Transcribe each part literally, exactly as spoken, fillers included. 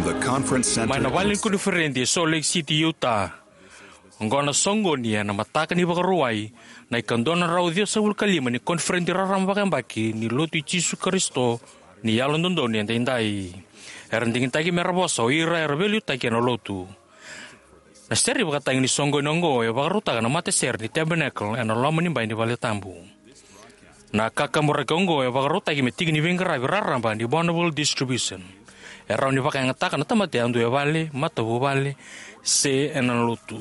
The conference center. Mai na vale ni koniferedi e Salt Lake City, Utah. Oqo na soqoni ena mataka ni Vakarauwai, na ikadua na drau ciwasagavulu ka lima ni koniferedi raraba vakayabaki ni Lotu i Jisu Karisito ni Yalododonu Edaidai. Era digitaki mera vosa o ira era veiliutaki ena Lotu. Na sere vakatagi ni soqoni oqo e vakarautaka na matasere ni Tabernacle ena loma ni bai ni vale tabu. Na kakaburaki oqo e vakarautaki me tiki ni veiqaravi raraba ni Bonneville Distribution. E rawa ni vakayagataka na tamata yadua e vale, matavuvale, se ena Lotu.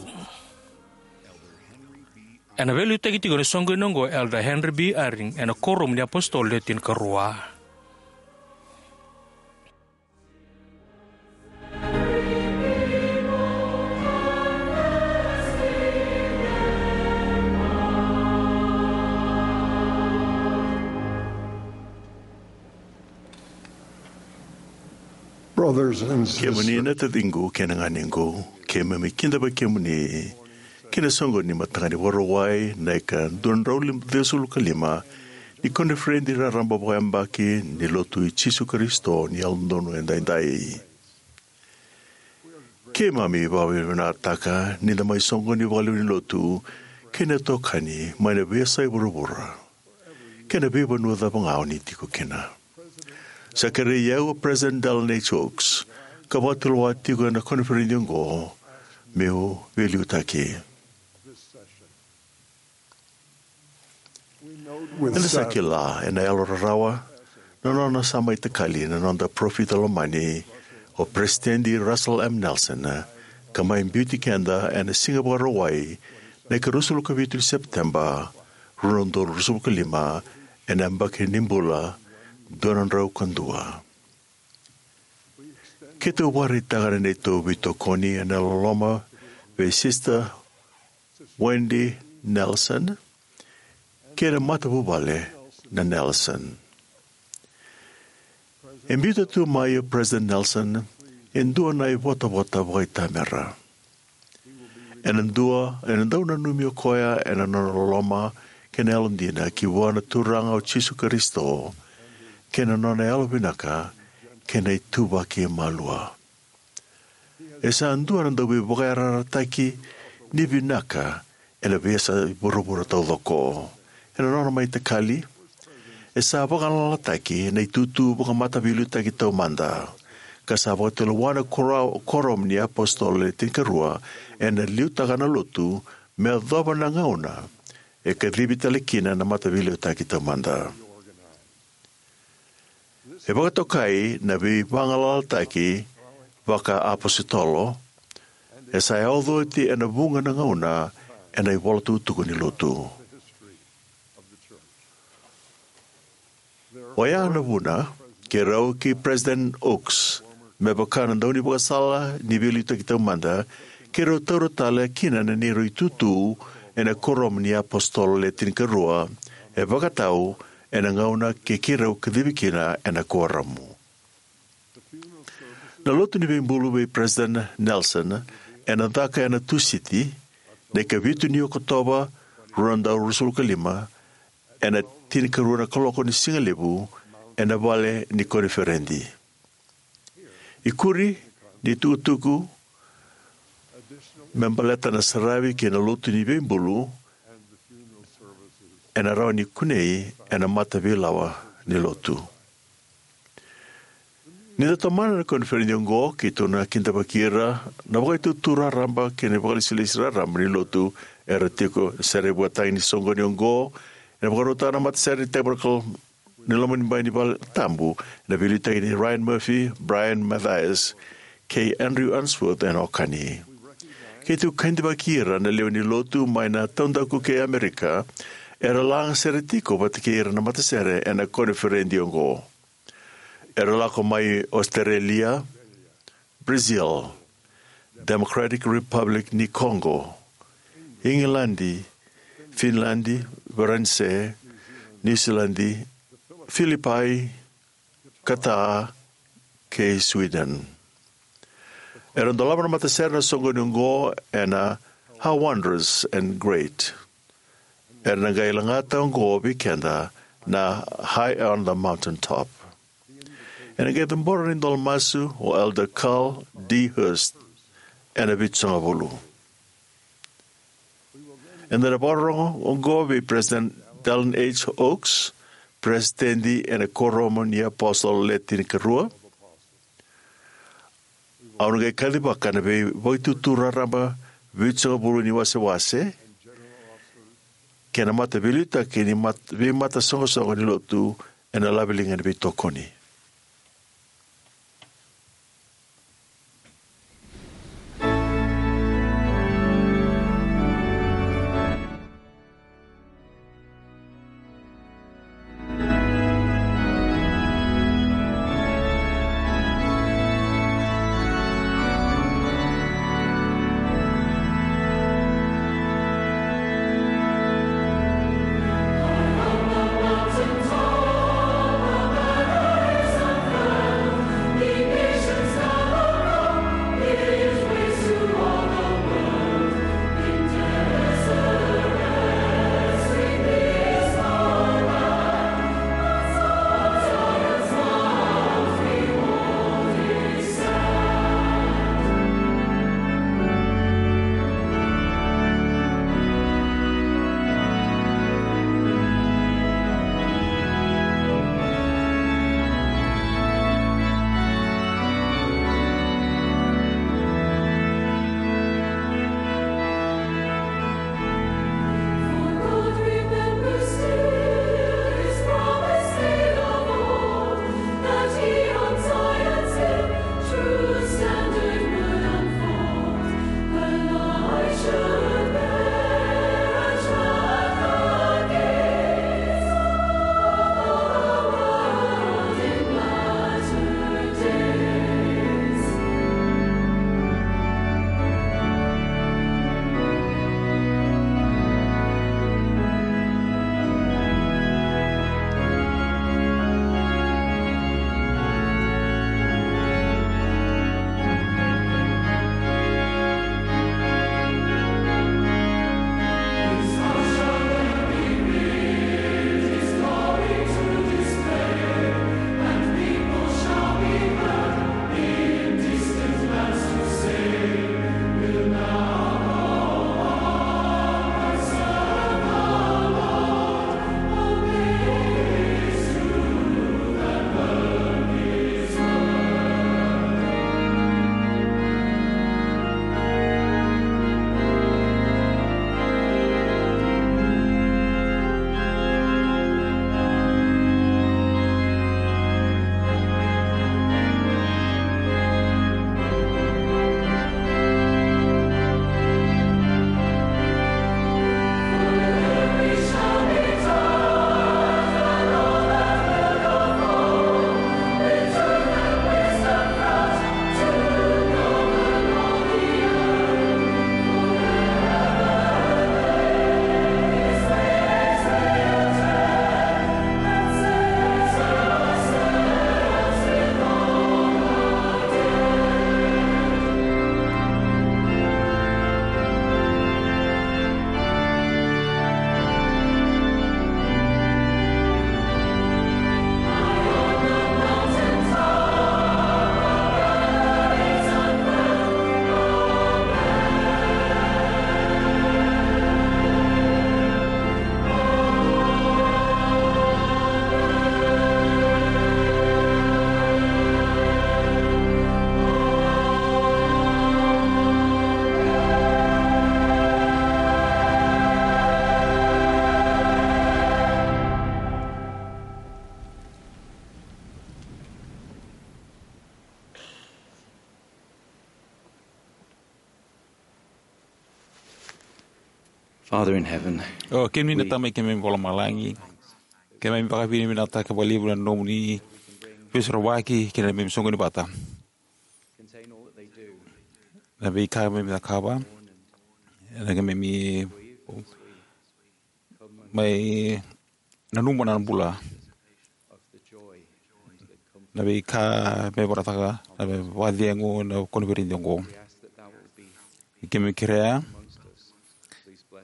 Ena veiliutaki tiko ena soqoni oqo o Elder Henry B. Eyring ena Kuoramu ni iApositolo Le Tinikarua. Brothers and sisters. Kemuni na taciqu kei na ganequ, keimami kidavaki kemuni ki na soqoni ni mataka ni Vakarauwai, na ikadua na drau ciwasagavulu ka lima ni koniferedi raraba vakayabaki ni Lotu i Jisu Karisito ni Yalododonu Edaidai. Keimami vakavinavinakataka ni da mai soqoni vakalevu ni Lotu kei na itokani mai na veiyasai vuravura kei na veivanua cava ga o ni tiko kina. Sa kerei au o President Dallin H. Oaks ka vakatulewa tiko ena koniferedi oqo meu veiliutaki. Eda sa kila ena yalo rarawa na nona sa mai takali na noda parofita lomani o Peresitedi Russell M. Nelson, ka mai biuti keda ena Siga Vakarauwai, na ikaruasagavulu ka vitu ni Sepiteba, rua na udolu ruasagavulu ka lima, ena yabaki ni bula dua na drau ka dua. Keitou vakaraitaka na neitou veitokoni ena loloma vei Sister Wendy Nelson kei na matavuvale na Nelson. E biuta tu mai o President Nelson e dua na ivotavota vakaitamera. Ena dua, ena dau nanumi o koya ena nona loloma kei na yalodina ki vua na Turaga o Jisu Karisito, kei na nona yalovinaka kei na ituvaki malua. E sa dua na dauveivakayarayarataki ni vinaka ena veiyasai vuravura taucoko. Ena nona mai takali, e sa vagalalataki na itutu vakamataveiliutaki taumada, ka sa vakatulewa na kora-, Kuoramu ni iApositolo Le Tinikarua ena liutaka na Lotu me yacova na gauna e kacivi tale kina na mataveiliutaki taumada. E vakatokai na veivagalalataki vakaapositolo, e sa yaco oti ena vuqa na gauna ena ivolatukutuku ni Lotu. Oya na vuna, keirau kei President Oaks, me vaka na daunivakasala ni veiliutaki taumada, keirau taura tale kina na neirau itutu ena Kuoramu ni iApositolo Le Tinikarua, e vakatau ena gauna keirau kacivi kina ena Kuoramu. Na lotu ni veibulu vei President Nelson ena caka ena Tusiti, na ikavitu ni Okotova, rua na udolu ruasagavulu ka lima, ena tinikarua na kaloko ni sigalevu, ena vale ni koniferedi. Ikuri ni tukutuku me baleta na saravi kei na lotu ni veibulu ena rawa ni kunei ena mataveilawa ni lotu. Ni da tomana na koniferedi oqo, keitou na kidavaki ira na vakaitutu raraba kei na vakalesilesi raraba ni lotu era tiko. Sere vakatagi ni soqoni oqo ena vakarautaka na matasere ni Tabernacle ni loma ni bai ni vale tabu, ena veiliutaki nei Ryan Murphy, Brian Mathias, kei Andrew Unsworth ena okani. Keitou kidavaki ira na lewe ni lotu mai na taudaku kei Amerika era laga sere tiko vata kei ira na matasere ena koniferedi oqo. Era lako mai Ositerelia, Brazil, Democratic Republic ni Congo, Igiladi, Finiladi, Varanise, Niusiladi, Filipai, Qatar, kei Sweden. Era dolava na matasere na soqoni oqo ena How Wondrous and Great. Era na qai lagata oqo vei keda na High on the Mountain Top. Ena qai cabora na idola masu o Elder Carl D. Hurst ena Vitusagavulu. Eda na vakarorogo oqo vei President Dallin H. Oaks, President ena Kuoramu ni iApositolo Le Tinikarua. Au na qai kacivaka na veivakaitutu raraba vitusagavulu ni wasewase kei na mataveiliutaki ni mat-, veimatasoqosoqo ni lotu ena laveliga ni veitokoni. Father in heaven, o kemuni na Tamai keimami vakalomalagi, keimami vakavinavinakataka vakalevu na nomuni veisorovaki kei na neimami soqoni vata. Na veika keimami cakava, na keimami mai nanuma na bula, na veika me vakaraitaka na vakacegu na koniferedi oqo. Keimami kerea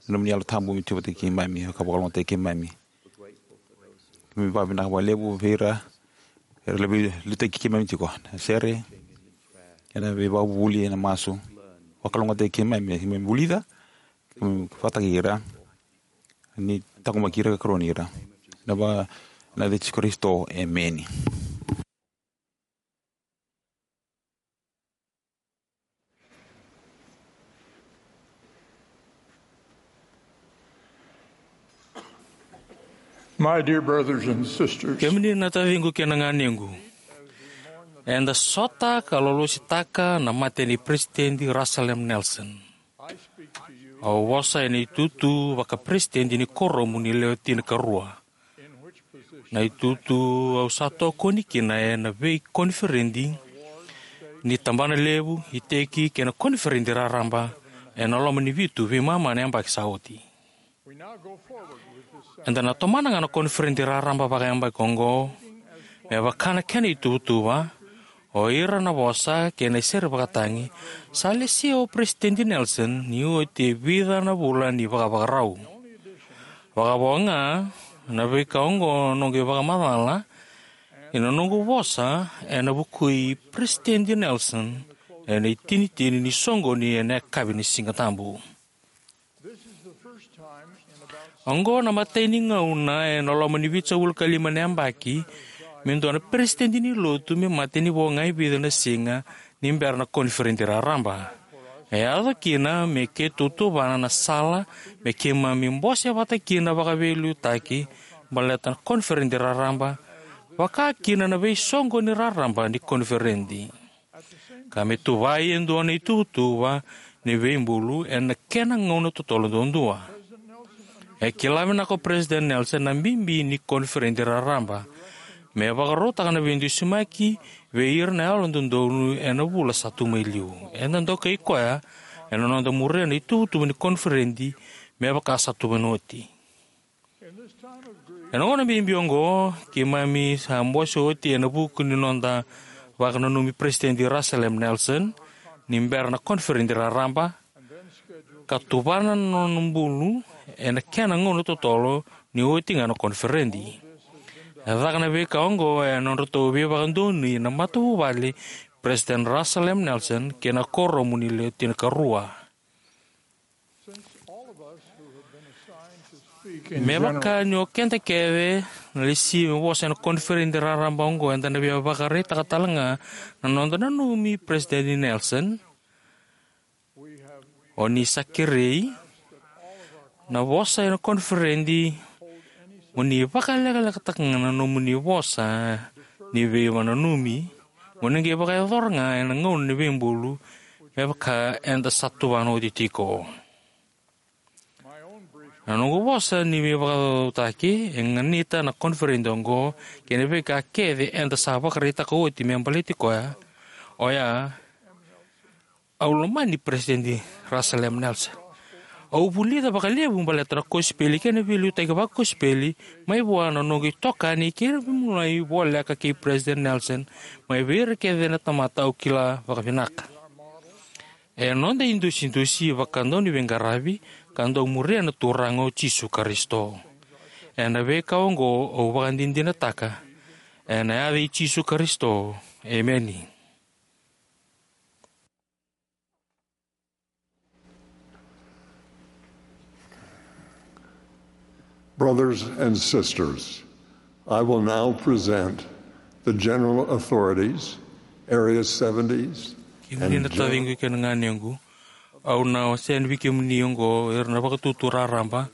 na nomuni Yalo Tabu me tu vata kei keimami ka vakalougatataki keimami. Keimami vakavinavinaka vakalevu vei ira Era levu liutaki keimami tiko na sere, ena veivakavuvuli ena masu. Vakalougatataki keimami, keimami vulica, keimami vakataki ira. Ni takumaki ira ka karoni ira. Na va, na Jisu Karisito, emeni. My dear brothers and sisters, kemuni na taciqu kei na ganequ, eda sota ka lolositaka na mate ni President Russell M. Nelson. Au vosa ena itutu vakaperesitedi ni kuoramu ni lewe tinikarua. Na itutu au sa tokoni kina ena veikoniferedi ni tabana levu, iteki kei na koniferedi raraba ena loma ni vitu veimama na yabaki sa oti. Eda na tomana ga na koniferedi raraba vakayabaki oqo, me vaka na kena ituvatuva, o ira na vosa kei na isere vakatagi, sa lesia o President Nelson ni oti e vica na vula ni vakavakarau. Vakavo ga na veika oqo noqu ivakamacala, ena noqu vosa ena vukui President Nelson ena itinitini ni soqoni ena yakavi ni Siga Tabu. Oqo na imatai ni gauna ena loma ni vitusagavulu ka lima na yabaki me dua na peresitedi ni lotu me mate ni vo ga e vica na siga ni bera na koniferedi raraba. E yaco kina me keitou tuvana na sala me keimami bose vata kina vakaveiliutaki baleta na koniferedi raraba, vaka kina na veisoqoni raraba ni koniferedi. Ka me tuvai e dua na ituvatuva ni veibulu ena kena gauna totolo duadua. E kila vinaka o President Nelson na bibi ni koniferedi raraba me vakarautaka na veidusimaki vei ira na yalododonu ena vula sa tu mai liu. Eda dokai koya ena noda muria na ituvatuva ni koniferedi me vaka sa tu mai na oti. Ena gauna bibi oqo, keimami sa bose oti ena vuku ni noda vakananumi President Russell M. Nelson ni bera na koniferedi raraba, ka tuvana na nona bulu ena kena gauna totolo ni oti ga na koniferedi. E caka na veika oqo ena nodratou veivakadonui na matavuvale President Russell M. Nelson kei na kuoramu ni lewe tinikarua. Me vaka ni o keda kece na lesi me vosa ena koniferedi raraba oqo, eda na via vakaraitaka tale ga na noda nanumi President Nelson. O ni sa kerei na vosa ena koniferedi mo ni vakalekalekataka ga na nomuni vosa ni veivakananumi, mo ni qai vakayacora ga ena gauna ni veibulu me vaka eda sa tuvana oti tiko. Na noqu vosa ni veivakacaucautaki e ganita na koniferedi oqo kei na veika kece eda sa vakaraitaka oti me baleti koya, oya, au lomani President Russell M. Nelson. Au vulica vakalevu baleta na kosipeli kei na veiliutaki vakosipeli mai vua na noqu itokani kei na veimualai voleka kei President Nelson, mai vei ira kece na tamata au kila vakavinaka. E noda idusidusi vakadauniveiqaravi ka dau muria na Turaga o Jisu Karisito. Ena veika oqo au vakadinadinataka ena yaca i Jisu Karisito. Emeni. Brothers and sisters, I will now present the general authorities, Area seventies, kemuni na taciqu kei na ganequ, au na wasea vei kemuni oqo ira na vakatutu raraba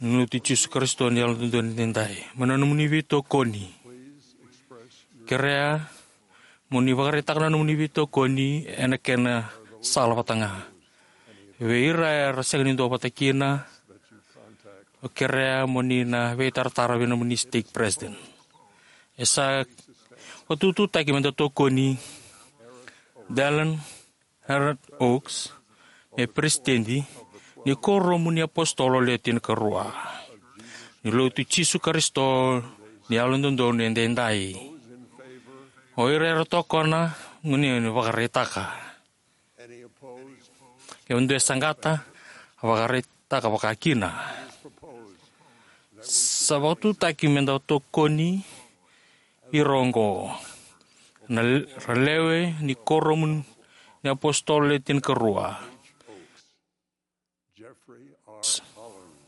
ni Lotu i Jisu Karisito ni Yalododonu Edaidai. Mai na nomuni veitokoni, kerea mo ni vakaraitaka na nomuni veitokoni ena kena sala vata ga. Vei ira era sega ni duavata kina, au kerea mo ni na veitaratara vei nomuni stake president. E sa vakatututaki me da tokoni Dallin Harold Oaks me peresitedi ni kuoramu ni apositolo le tinikarua ni Lotu i Jisu Karisito ni Yalododonu Edaidai. O ira era tokona, mo ni vakaraitaka. Ke dua e saqata, vakaraitaka vakakina. Sa vakatutaki me da tokoni Ira oqo na l-, ra lewe ni Kuoramu ni Apositolo Le Tinikarua. Jeffrey R. Holland,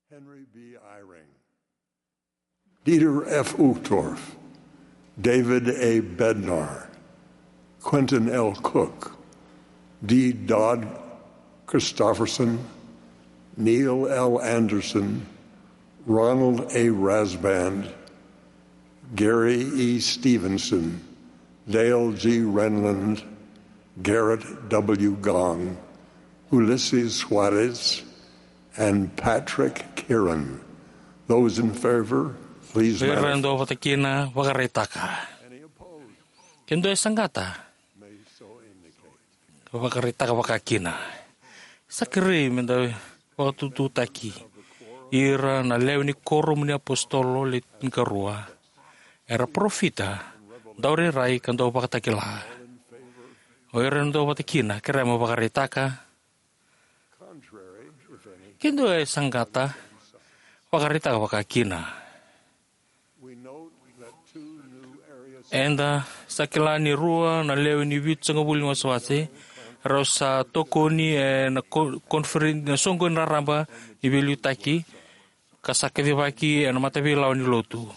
Henry B. Eyring, Dieter F. Uchtdorf, David A. Bednar, Quentin L. Cook, D. Todd Christofferson, Neil L. Andersen, Ronald A. Rasband, Gary E. Stevenson, Dale G. Renlund, Gerrit W. Gong, Ulisses Soares, and Patrick Kieran. Those in favor, please. Ira manifest. Dou vata kina, vakaraitaka. Ke dou e saqata, vakaraitaka vakakina. Sa kerei me da vakatututaki ira na lewe ni Kuoramu ni Apositolo Le Tinikarua. Era parofita, daurairai ka dauvakatakila. O ira dou vata kina, kerea mo vakaraitaka. Ke dou e saqata, vakaraitaka vakakina. Eda sa kila ni rua na lewe ni Vitusagavulu ni Wasewase rau sa tokoni ena ko-, koniferedi, na soqoni raraba ni veiliutaki, ka sa kacivaki ena mataveilawa ni lotu.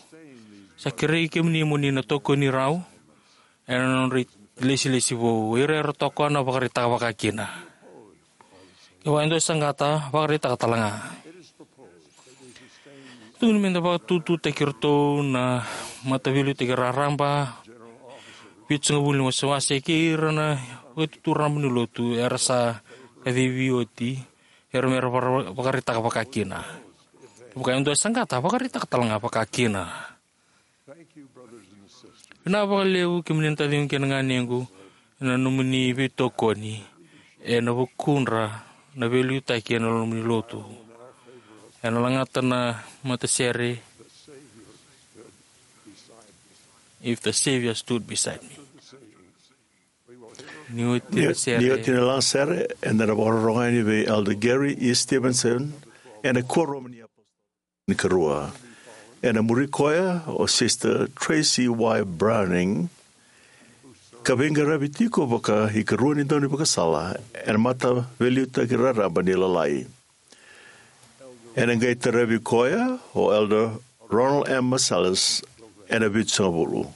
Sa kerei kemuni mo ni na tokoni rau ena nodra ilesilesi vou. Ira era tokona, vakaraitaka vakakina. Kevaka e dua e saqata, vakaraitaka tale ga. Tukuni me da vakatututaki iratou na mataveiliutaki raraba, Vitusagavulu ni Wasewase kei ira na Vakaitutu Raraba ni Lotu era sa kacivi oti, era me ra vara-, vakaraitaka vakakina. Kevaka e dua e saqata, vakaraitaka tale ga vakakina. Vinaka vakalevu kemuni na taciqu kei na ganequ ena nomuni veitokoni ena vukudra na veiliutaki ena nomuni lotu. Ena lagata na matasere, If the Savior Stood Beside Me. Ni oti na sere. Ni oti na lagasere, eda na vakarorogo yani vei Elder Gary E. Stevenson ena Kuoramu ni Apositolo Tinikarua. Ena muri koya o Sister Tracy Y. Browning, ka veiqaravi tiko vakaikarua ni daunivakasala ena mataveiliutaki raraba ni Lalai. Ena qai tarovi koya o Elder Ronald M. Marsalis ena Vitusagavulu.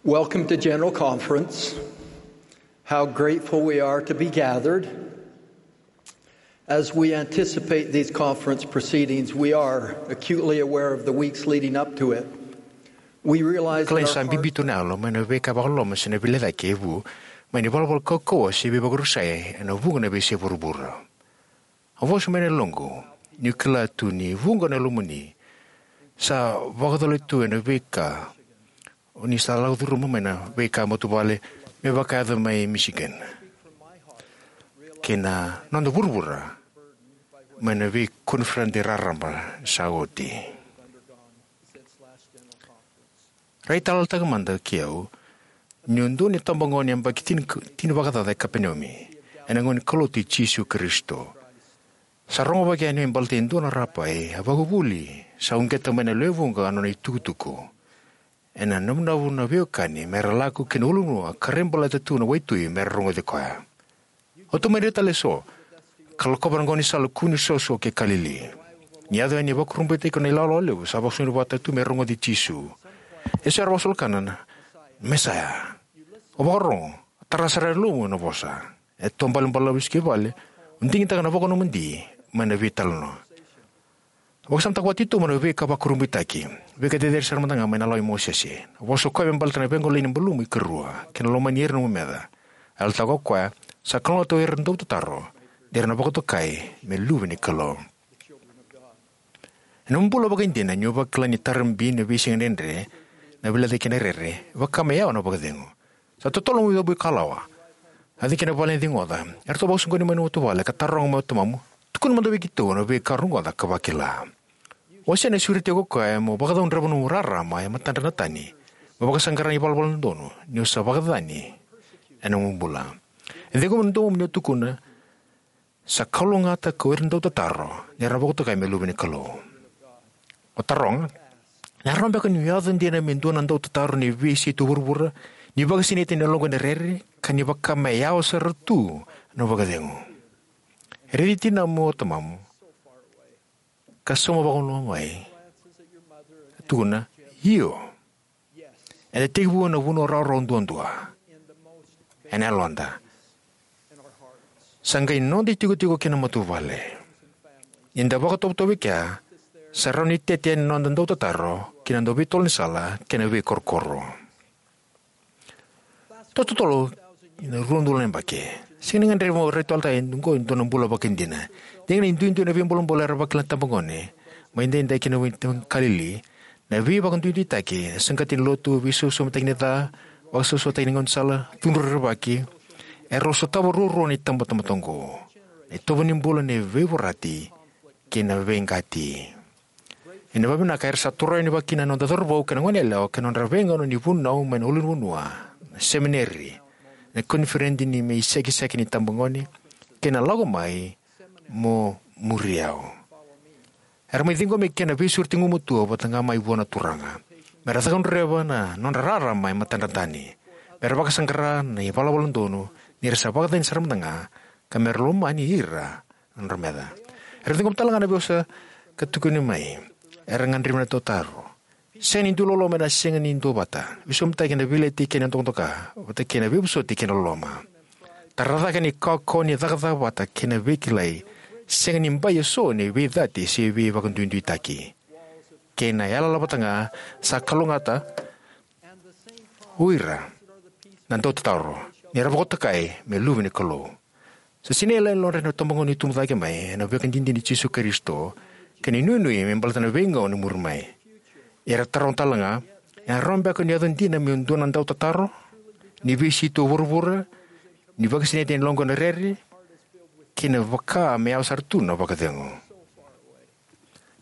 Welcome to General Conference. How grateful we are to be gathered. As we anticipate these conference proceedings, we are acutely aware of the weeks leading up to it. We realize that Kalai our sa hearts bibi tu na yalo mai na veika vakaloloma se na veilecayaki e vu mai na ivalavala kaukauwa se veivakarusai ena vuqa na veiyasai vuravura. A vosa mai na yaloqu niu kila tu ni vuqa na lomani sa vakacalai tu ena veika o ni sa lako curuma mai na veika matavuvale me vakayaco mai Michigan kei na noda vuravura mai na veikoniferedi raraba sa oti. Raitayaloyalotaka mada kei au niu dua na itabagone yabaki tini, tini vakacaca e Kapenaumi ena gauna ni kaulotu i Jisu Karisito. Sa rogovaki yani me baleta e dua na rapai a vakavuli sa uqeta mai na lewe vuqa na nona itukutuku. Ena navunavu na veiwekani mera lako ki na ulunivanua ka rai baleta tu na waitui mera rogoci koya. Au tomani ira tale eso ka lakova na gaunisala kua ni soso kei Kalili. Ni yaco yani e vakurabuitaki na ilawalawa levu sa vakasauri vata tu me rogoci Jisu. Eso era vakasolokana na Mesaya. O vakarogo, tara sara e lomamu na vosa. E tobalabalabala vesu ki vale, o digitaka na vakanomodi mai na veitalanoa. Vakasamataka vata titobu na veika vakurabuitaki, veika cecere sara mada ga mai na lawa i Mosese. Na vosa o koya me baleta na vagolei ni balumu ikarua kei na lomani ira na nomu meca. A yalataka o koya, sa kalougata o ira na dautataro ni ra na vakatokai me luve ni Kalou. Ena nomu bula vakaidina, ni o vakila ni tara bibi na veisiga dredre, na veilecayaki kei na rere, vaka me yawa na vakacegu. Sa totolo nomu icovo ikalawa. A cake ena vale ni cigoca. Eratou vakasoqoni mai na matavuvale ka taroga mai o tamamu, tukuna mada vei keitou na veika rogoca ka vakila. O sega ni sureti iko o koya mo vakacaudreva nomu rarama e matadra na tani, mo vakasaqara na ivalavala dodonu ni o sa vakacacani ena nomu bula. E ciqoma na domomu ni o tukuna, sa kalougata ko ira na dautataro ni ra vakatokai me luve ni Kalou. O taroga, na rawa beka niu yaco dina me dua na dautataro ni veiyasai tu vuravura, ni vakasinaiti ena yaloqu ena rere, ka ni vaka me yawa sara tu na vakacegu. E raici tinamu o tamamu ka sauma vakamalua mai. Tukuna, io. Eda tekivu ena vanua rawarawa duadua ena yaloda. Sa qai noda itikotiko kei na matavuvale. Ni da vakatovotovo e kea, sa rawa ni tete yani na noda dautataro ki na dau veitolo ni sala kei na veikorokoro. Tototolo ina rua na udolu na yabaki, sega ni gadrevi mo raitayalotaka e dua oqo e dua na bula vakaidina. Dina ni duidui na veibolebole era vakila na tabagone mai daidai kei na wai Kalili, na veivakaduiduitaki, saqati ni lotu, veisausautaki ni ca, vakasausautaki ni gaunisala, cudru rerevaki, erau sotava ruarua na itabatamata oqo. Na itovo ni bula ni veivorati kei na veiqati. Ena vakavinaka era sa toro yani vakakina na noda cauravou kei na goneyalewa kei na nodra veigauna ni vunau mai na ulunivanua, na semineri, na koniferedi ni me isekiseki ni tabagone, kei na lako mai mo muri au. Era mai ciqomi kina na veisureti gugumatua vata ga mai vua na Turaga, mera cakacakataka na nodra rarama e matadra na tani, mera vakasaqara na ivalavala dodonu ni ra sa vakacacani sara mada ga, ka mera lomani ira na nodra meca. Era ciqoma tale ga na veiwasewase ka tukuni mai, era gadrevi na dautaro. Sega ni dui loloma ena sega ni duavata. Veisaumaki ena veileti kei na dokadoka, vata kei na veivosoti kei na loloma. Tara cake na kaukauwa ni cakacaka vata kei na veikilai. Sega ni bai eso ni veicati se veivakaduiduitaki. Kei na yalayala vata ga sa kalougata o ira na dautatauro ni ra vakatokai me luve ni Kalou. Sa sinai yaloyalodra na itabagone ni tubu cake mai ena veika dina i Jisu Karisito kei na inuinui me baleta na veigauna e muri mai. Era taroga tale ga, e rawa beka ni yaco dina meu dua na dautataro ni veisei tu o vuravura, ni vakasinaiti ena yaloqu ena rere, kei na vaka me yawa sara tu na vakacegu?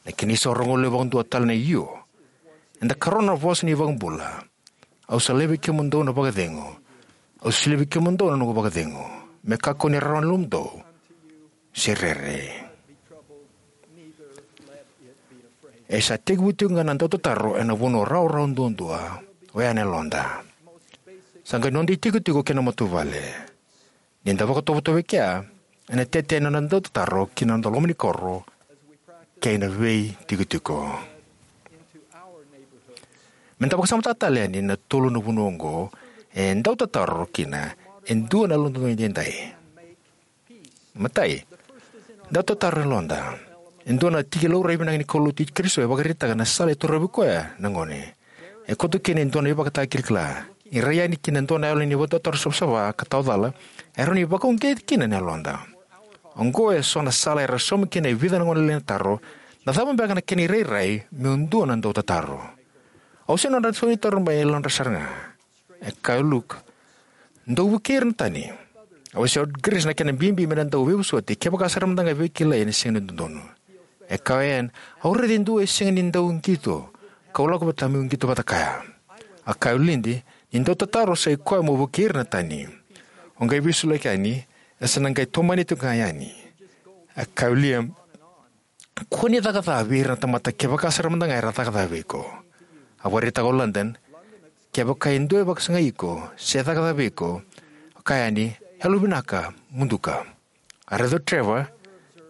Na kena isau rogo levu vakadua tale na io. Eda karona na vosa ni iVakabula: Au sa laivi kemudou na vakacegu. Au sa laivi kemudou na noqu vakacegu. Me kakua ni rarawa na yalomudou se rere. E sa tekivu tiko ga na dautataro ena vanua rawarawa duadua, oya na yaloda. Sa qai noda itikotiko kei na matavuvale. Ni da vakatovotovo e kea, ena tete na noda dautataro ki na noda loma ni koro kei na veitikotiko. Me da vakasamataka tale yani na tolu na vanua oqo e dau tataro kina e dua na yalododonu edaidai. Matai, dau tataro na yaloda. E dua na tiki laurai vinaka ni kaulotu i Karisito e vakaraitaka na sala e torovi koya na gone. E koto kina e dua na ivakatakilakila. Ni rai yani ki na dua na yalo ni vakatotaro savasava ka tawa cala, e rawa ni vakauqeti kina na yaloda. Oqo e so na sala era sauma kina e vica na gone lailai na taro: na cava beka na kena irairai meu dua na dau tataro? Au sega ni nodra sauni taro mai e yalodra sara ga. E kaya o Luke, dou vukei ira na tani. A wasea o Grace na kena bibi me na dau veivosoti kevaka sara mada ga e veikilai ena sega ni dodonu. E kaya o Anne, au raica e dua e sega ni dau qito, kau lako vata meu qito vata kaya. A kaya o Lindy, ni dau tataro sa ikoya mo vukei ira na tani. O qai veisulaki yani, e sa na qai tomani tiko ga yani. A kaya o Liam, kua ni caka ca vei ira na tamata kevaka sara mada ga era caka ca vei iko. A vakaraitaka o London, kevaka e dua e vakasagai iko se caka ca vei iko, o kaya yani, yalovinaka, muduka. A raica o Trevor,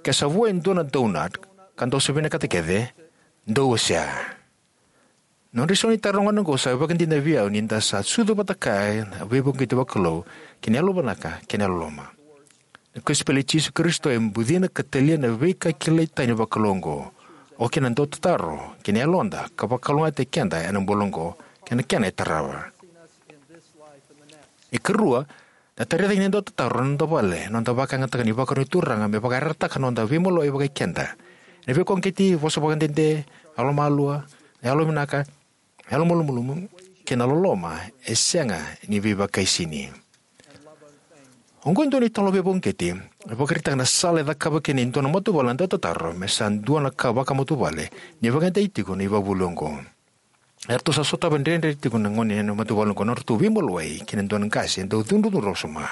ke sa vo e dua na donut ka dou sa vinakata kece, dou wasea. Nodra isau ni taro na gone oqo sa ivakadinadina vei au ni da sa sucu vata kaya na veivakauqeti vakalou kei na yalovinaka kei na yalololoma. Na kosipeli i Jisu Karisito e bucina ka talia na veika kilai tani vakalou oqo, oka kina na dau tataro kei na yaloda, ka vakalougatataki keda ena bula oqo kei na kena e tarava. E karua, na tarai cake ni dau tataro ena noda vale, noda vakayagataka ni vakarau ni Turaga me vakayarayarataka na noda veimaliwai vakai keda. Ena veivakauqeti, vosa vakadede, yalomalua, yalovinaka, yalomalumalumu, kei na loloma e sega ni veivakaisini. Oqo e dua na italanoa veivakauqeti e vakaraitaka na sala e cakava kina e dua na matavuvale na dau tataro me sa dua na ka vakamatavuvale ni vakayagataki tiko na ivakavuvuli oqo. Eratou sa sotava dredre tiko na gone ena matavuvale oqo na nodratou veimaliwai kei na dua na qase e dau cudrucudru wasoma.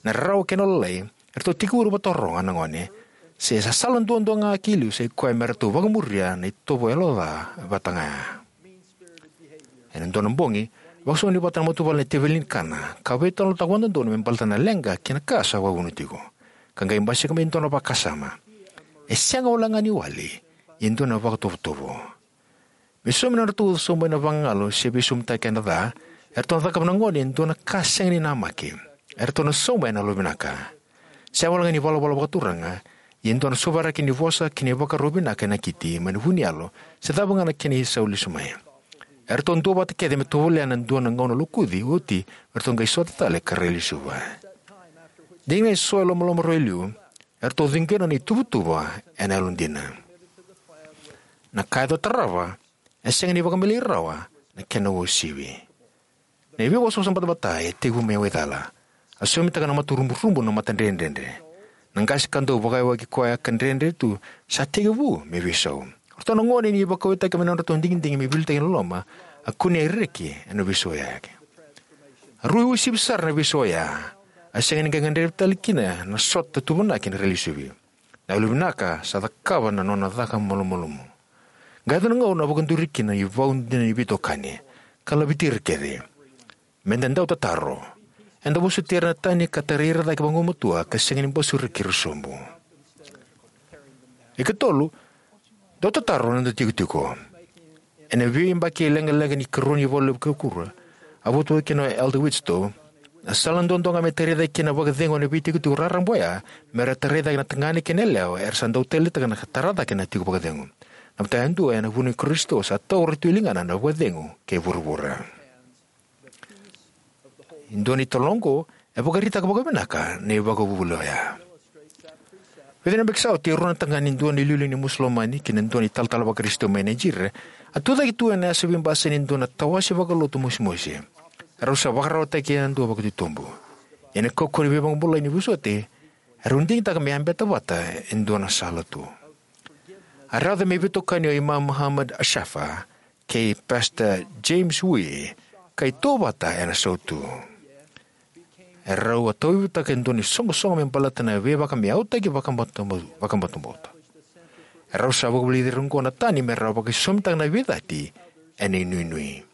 Na rarawa kei na lalai, eratou tekivu ira vakataroga na gone se sa sala duadua ga ki liu sa ikoya me ratou vakamuria na itovo yalo ca vata ga ya. Ena dua na bogi, vakasauni vata na matavuvale na teveli ni kana, ka veitalanoataka vakadodonu me baleta na leqa kei na ka sa vakavuna tiko. Ka qai basika mai e dua na vakasama. E sega walega ni wali, ia e dua na vakatovotovo. Me saumi na nodratou sauma ena vagagalu se veisaumi keda ca, eratou na cakava na gone e dua na ka sega ni namaki. Eratou na sauma ena yalovinaka. Sega walega ni valavala vakaturaga, ia e dua na sovaraki ni vosa kei na ivakarau vinaka e nakiti mai na vu ni yalo, se cava ga na kena isau lesu mai. Eratou duavata kece me tovolea na dua na gauna lokuci, oti me ratou qai sota tale ka rai lesuva. Dina eso e lomalomarua e liu, eratou ciqena na ituvatuva ena yalodina. Na ka e dau tarava e sega ni vakamelei rawa na kena uasivi. Na ivevosavosa batabata e tekivu mai waicala. A saumitaka na mata ruburubu na mata dredredre. Na qase ka dau vakayawaki koya ka dredre tu sa tekivu me veisau. O ratou na gone ni vakauwaitaki mai na nodratou digidigi me veiliutaki ena loloma, a kunea e reki ena veisau oya. A rui uasivi sara na veisau oya. A sega ni qai gadrevi tale kina na sota tuvanaki na rai lesuvi. Na yalovinaka sa cakava na nona caka malumalumu. Qai yaco na gauna a vakaduri kina na ivau dina ni veitokani, ka laveti ira kece. Me da dau tataro. Eda vosoti ira na tani ka tarai ira cake vagumatua ka sega ni basuraki ira sobu. E katolu, dau tataro na noda tikotiko. Ena veiyabaki leqaleqa ni karua ni valu levu ka kura, a votu kina o Elder Widtsoe, na sala duadua ga me tarai cake kina na vakacegu ena veitikotiko raraba oya, me ra tarai cake na tagane kei na yalewa era sa dau taleitaka na ka tara cake na tiko vakacegu. Na mataka yadua ena vunau i Karisito sa taura tu e ligana na vakacegu kei vuravura. E dua na italanoa oqo e vakaraitaka vakavinaka na ivakavuvuli oya. Vica na yabaki sa oti, e rua na tagane, dua na iliuliu ni Musulomani kei na dua na italatala vaKarisito mai Nigeria, a tucake tu ena yasa veibasai ni dua na tawase vakalotu mosimosi. Erau sa vakararawataki yadua vakatitobu. Ena kaukauwa ni veivakabulai ni vosoti, erau digitaka me yabeta vata e dua na sala tu. A raica me veitokani o Imam Muhammad Ashafa kei Pastor James Wee, ka itauvata ena sautu. Erau a tauyavutaka e dua na isoqosoqo me baleta na veivakamiautaki vakabauta-, vakabautabauta. Erau sa vakavulici ira oqo na tani me ra vakaisosomitaka na veicati ena inuinui.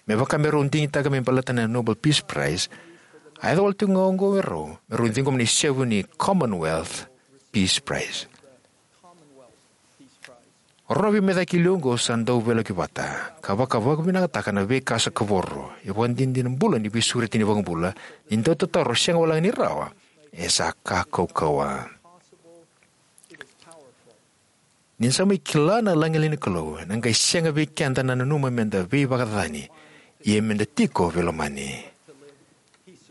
Me vaka me rau digitaka me baleta na Nobel Peace Prize, a yaco wale tiko ga oqo vei rau me rau ciqoma na isevu ni Commonwealth Peace Prize. O rau na veimecaki liu oqo sa dau veilakoyaki vata ka vakavinavinakataka na veika sa kavoro, e vakadinadina bula ni veisureti ni iVakabula, ni dautataro sega walega ni rawa, e sa ka kaukauwa. Ni da sa mai kila na lagilagi ni Kalou, ena qai sega vei keda na nanuma meda veivakacacani, ia meda tiko veilomani.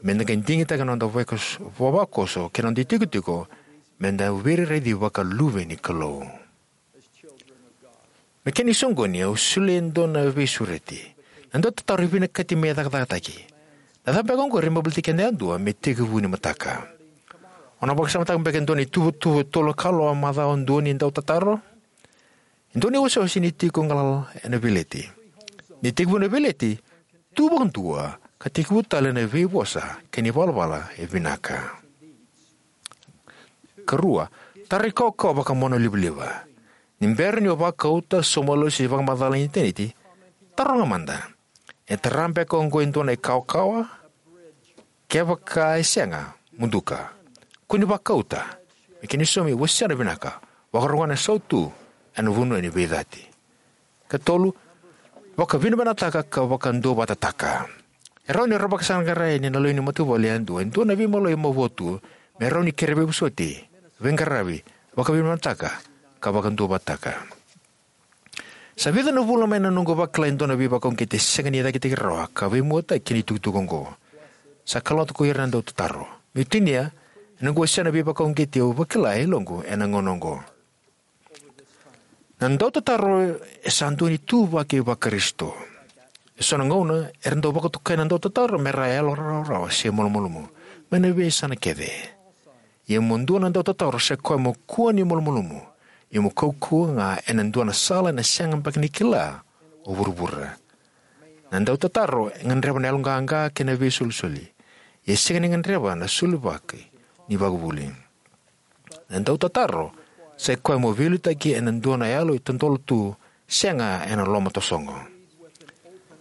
Meda qai digitaka na noda vakoso, vavakoso kei na noda itikotiko, meda veiraici vakaluve ni Kalou. Me kena isoqoni, au solia e dua na veisureti. Na dautataro e vinakati me cakacakataki. Na cava beka oqori me baleti keda yadua me tekivu ni mataka? O na vakasamataka beka e dua na ituvatuva e tolu na kaloko macawa dua ni dautataro? E dua na iwasewase ni tiko galala ena veileti. Ni tekivu na veileti, tu vakadua ka tekivu tale na veivosa kei na ivalavala e vinaka. Karua, tara ikaukau vakamonalivaliva. Ni bera ni o vakauta, sauma losi, se vakamacala ena initaneti, taroga mada: e tara beka oqo e dua na ikaukau? Kevaka e sega, muduka. Kua ni vakauta. Me kena isaumi, wasea na vinaka. Vakarogona na sautu ena vanua ni veicati. Katolu, vakavinavinakataka ka vakaduavatataka. E rawa ni ra vakasaqarai ena lewe ni matavuvale yadua e dua na veimaloi e mavoa tu, me rawa ni kere veivosoti, veiqaravi, vakavinavinakataka, ka vakaduavatataka. Sa vica na vula mai na noqu vakila e dua na veivakauqeti e sega ni cakitaki rawa ka veimuataki kei na itukutuku oqo. Sa kalougata ko ira na dautataro. Meu tinia, ena noqu wasea na veivakauqeti au vakila e yaloqu ena gauna oqo. Na dautataro e sa dua na ituvaki vaKarisito. E so na gauna era dau vakatokai na dautataro me ra yalorawarawa se malumalumu mai na veiyasana kece. Ia mo dua na dautataro, sa i koya mo kua ni malumalumu, ia mo kaukauwa ga ena dua na sala ena sega beka ni kila o vuravura. Na dautataro e gadreva na yaloqaqa kei na veisolisoli, ia e sega ni gadreva na solibula ni ivakavuvuli. Na dautataro sa i koya mo veiliutaki ena dua na yalo e totolo tu, sega ena loma tasogo.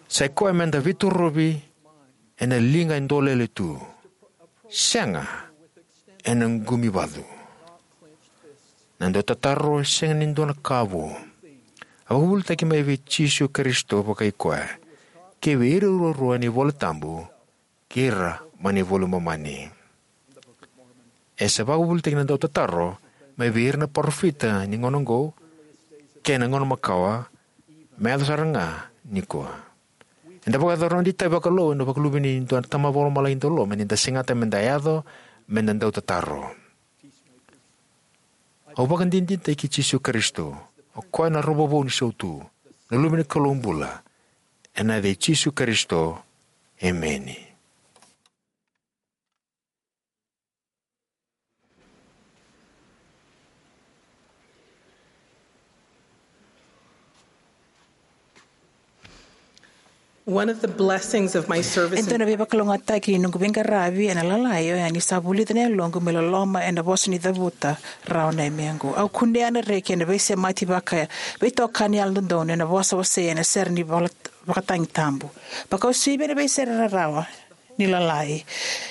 Sa i koya meda veitorovi ena liga e dolele tu, sega ena qumivacu. Na dautataro e sega ni dua na ka vou. A vakavuvulitaki mai vei Jisu Karisito vakai koya, kei vei ira ruarua ena iVola Tabu, kei ira mai na iVola i Momani. E sa vakavuvulitaki na dautataro mai vei ira na parofita ni gauna oqo, kei na gauna makawa, me yaco sara ga nikua. Eda vakayacora na noda itavi vakalou ena vakaluveni ni dua na Tama Vakalomalagi dauloloma ni da segata meda yaco, meda dautataro. Au vakadinadinataki Jisu Karisito, o koya na Rova Vou ni Sautu, na Luve ni Kalou bula. Ena yaca i Jisu Karisito, emeni. One of the blessings of my service E dua na veivakalougatataki ni noqu veiqaravi ena Lalai oya ni sa vulica na yaloqu me loloma ena vosa ni cavuta rawa na yamequ. Au kunea na reki ena veisemati vaka veitokani yalododonu ena vosa wasei ena sere ni vala-, vakatagi tabu. Vakauasivi ena veisere rarawa ni Lalai.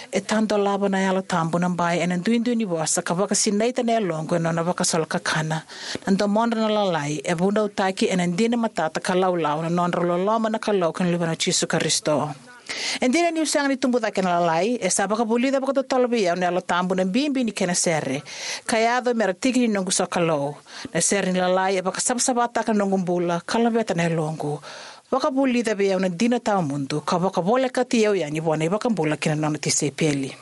E tadolava na Yalo Tabu na bai ena duidui ni vosa ka vakasinaita na yaloqu ena nona vakasala kakana. Na domodra na Lalai e vunautaki ena dina matata ka laulau na nodra loloma na Kalou kei na Luvena o Jisu Karisito. E dina niu sega ni tubu cake ena Lalai, e sa vakavulica vakatotolo vei au na Yalo Tabu na bibi ni kena sere, ka yaco me ra tiki ni noqu sokalou. Na sere ni Lalai e vakasavasavataka na noqu bula ka laveta na yaloqu. Vakavulica vei au na dina tawamudu ka vakavolekati au yani vua na iVakabula kei na nona tisaipeli.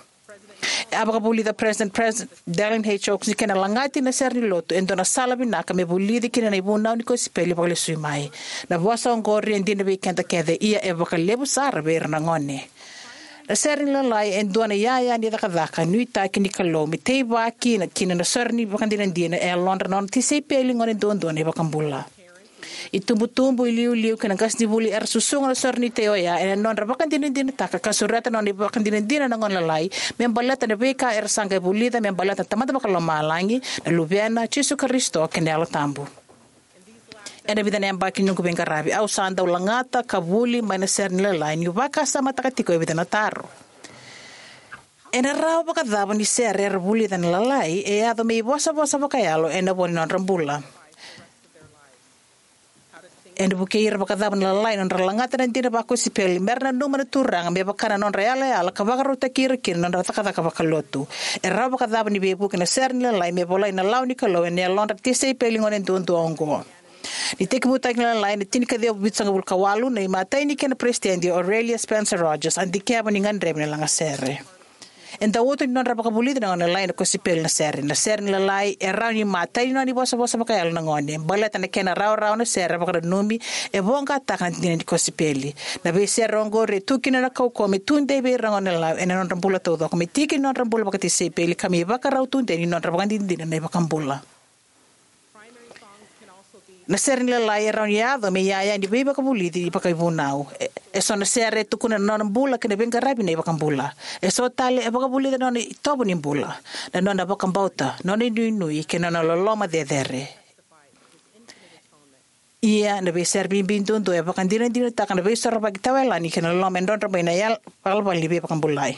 E a vakavulica President, President Dallin H. Oaks ni kena lagati na sere ni lotu e dua na sala vinaka me vulici kina na ivunau ni kosipeli vakalesui mai. Na vosa oqori e dina vei keda kece, ia e vakalevu sara vei ira na gone. Na sere ni Lalai e dua na iyaya ni cakacaka nuitaki ni Kalou me teivaki na kina na sore ni vakadinadina e yalodra na nona tisaipeli gone duadua na iVakabula. Itubutubu, iliuliu kei na qasenivuli era susuga na sore ni tei oya ena nodra vakadinadinataka ka sureta na nona ivakadinadina na gone lalai me baleta na veika era sa qai vulica me baleta na Tamada Vakalomalagi, na Luvena, Jisu Karisito kei na Yalo Tabu. Ena vica na yabaki ni noqu veiqaravi, au sa dau lagata ka vuli mai na sere ni Lalai niu vakasamataka tiko e vica na taro. Ena rawa vakacava ni sere era vulica na Lalai e yaco me ivosavosa vakayalo ena vo ni nodra bula? Ena vukei ira vakacava na Lalai na nodra lagata na dina vakosipeli, mera nanuma na Turaga me vaka na nodra yalayala ka vakarautaki ira kina na nodra cakacaka vakalotu? E rawa vakacava ni veivuke na sere ni Lalai me volai na lawa ni Kalou ena yalodra na tisaipeli gone duadua oqo? Ni tekivutaki na Lalai ena tinikaciwa vitusagavulu ka walu, na imatai ni kena peresitedi o Aurelia Spencer Rogers a dikeva ni gadrevi na lagasere. E dau uto ni nodra vakavulici na gone lalai ena kosipeli na sere. Na sere ni Lalai e rawa ni imatai ni nona ivosavosa vakayalo na gone, baleta na kena rawarawa na sere vakananumi e voqataka na dina ni kosipeli. Na veisere oqori e tu kina na kaukauwa me tudei vei ira na gone lalai ena nodra bula taucoko, me tiki ni nodra bula vakatisaipeli, ka me ivakarau tudei ni nodra vakadinadina na iVakabula. Na sere ni Lalai e rawa ni yaco me iyaya ni veivakavulici vakaivunau. E, eso na sere e tukuna na nona bula kei na veiqaravi na iVakabula. Eso tale e vakavulica na nona itovo ni bula, na nona vakabauta, nona inuinui kei na nona loloma cecere. Ia na veisere bibi duadua e vakadinadinataka na veisorovaki tawayalani kei na loloma e drodro mai na yal- valavala ni veivakabulai.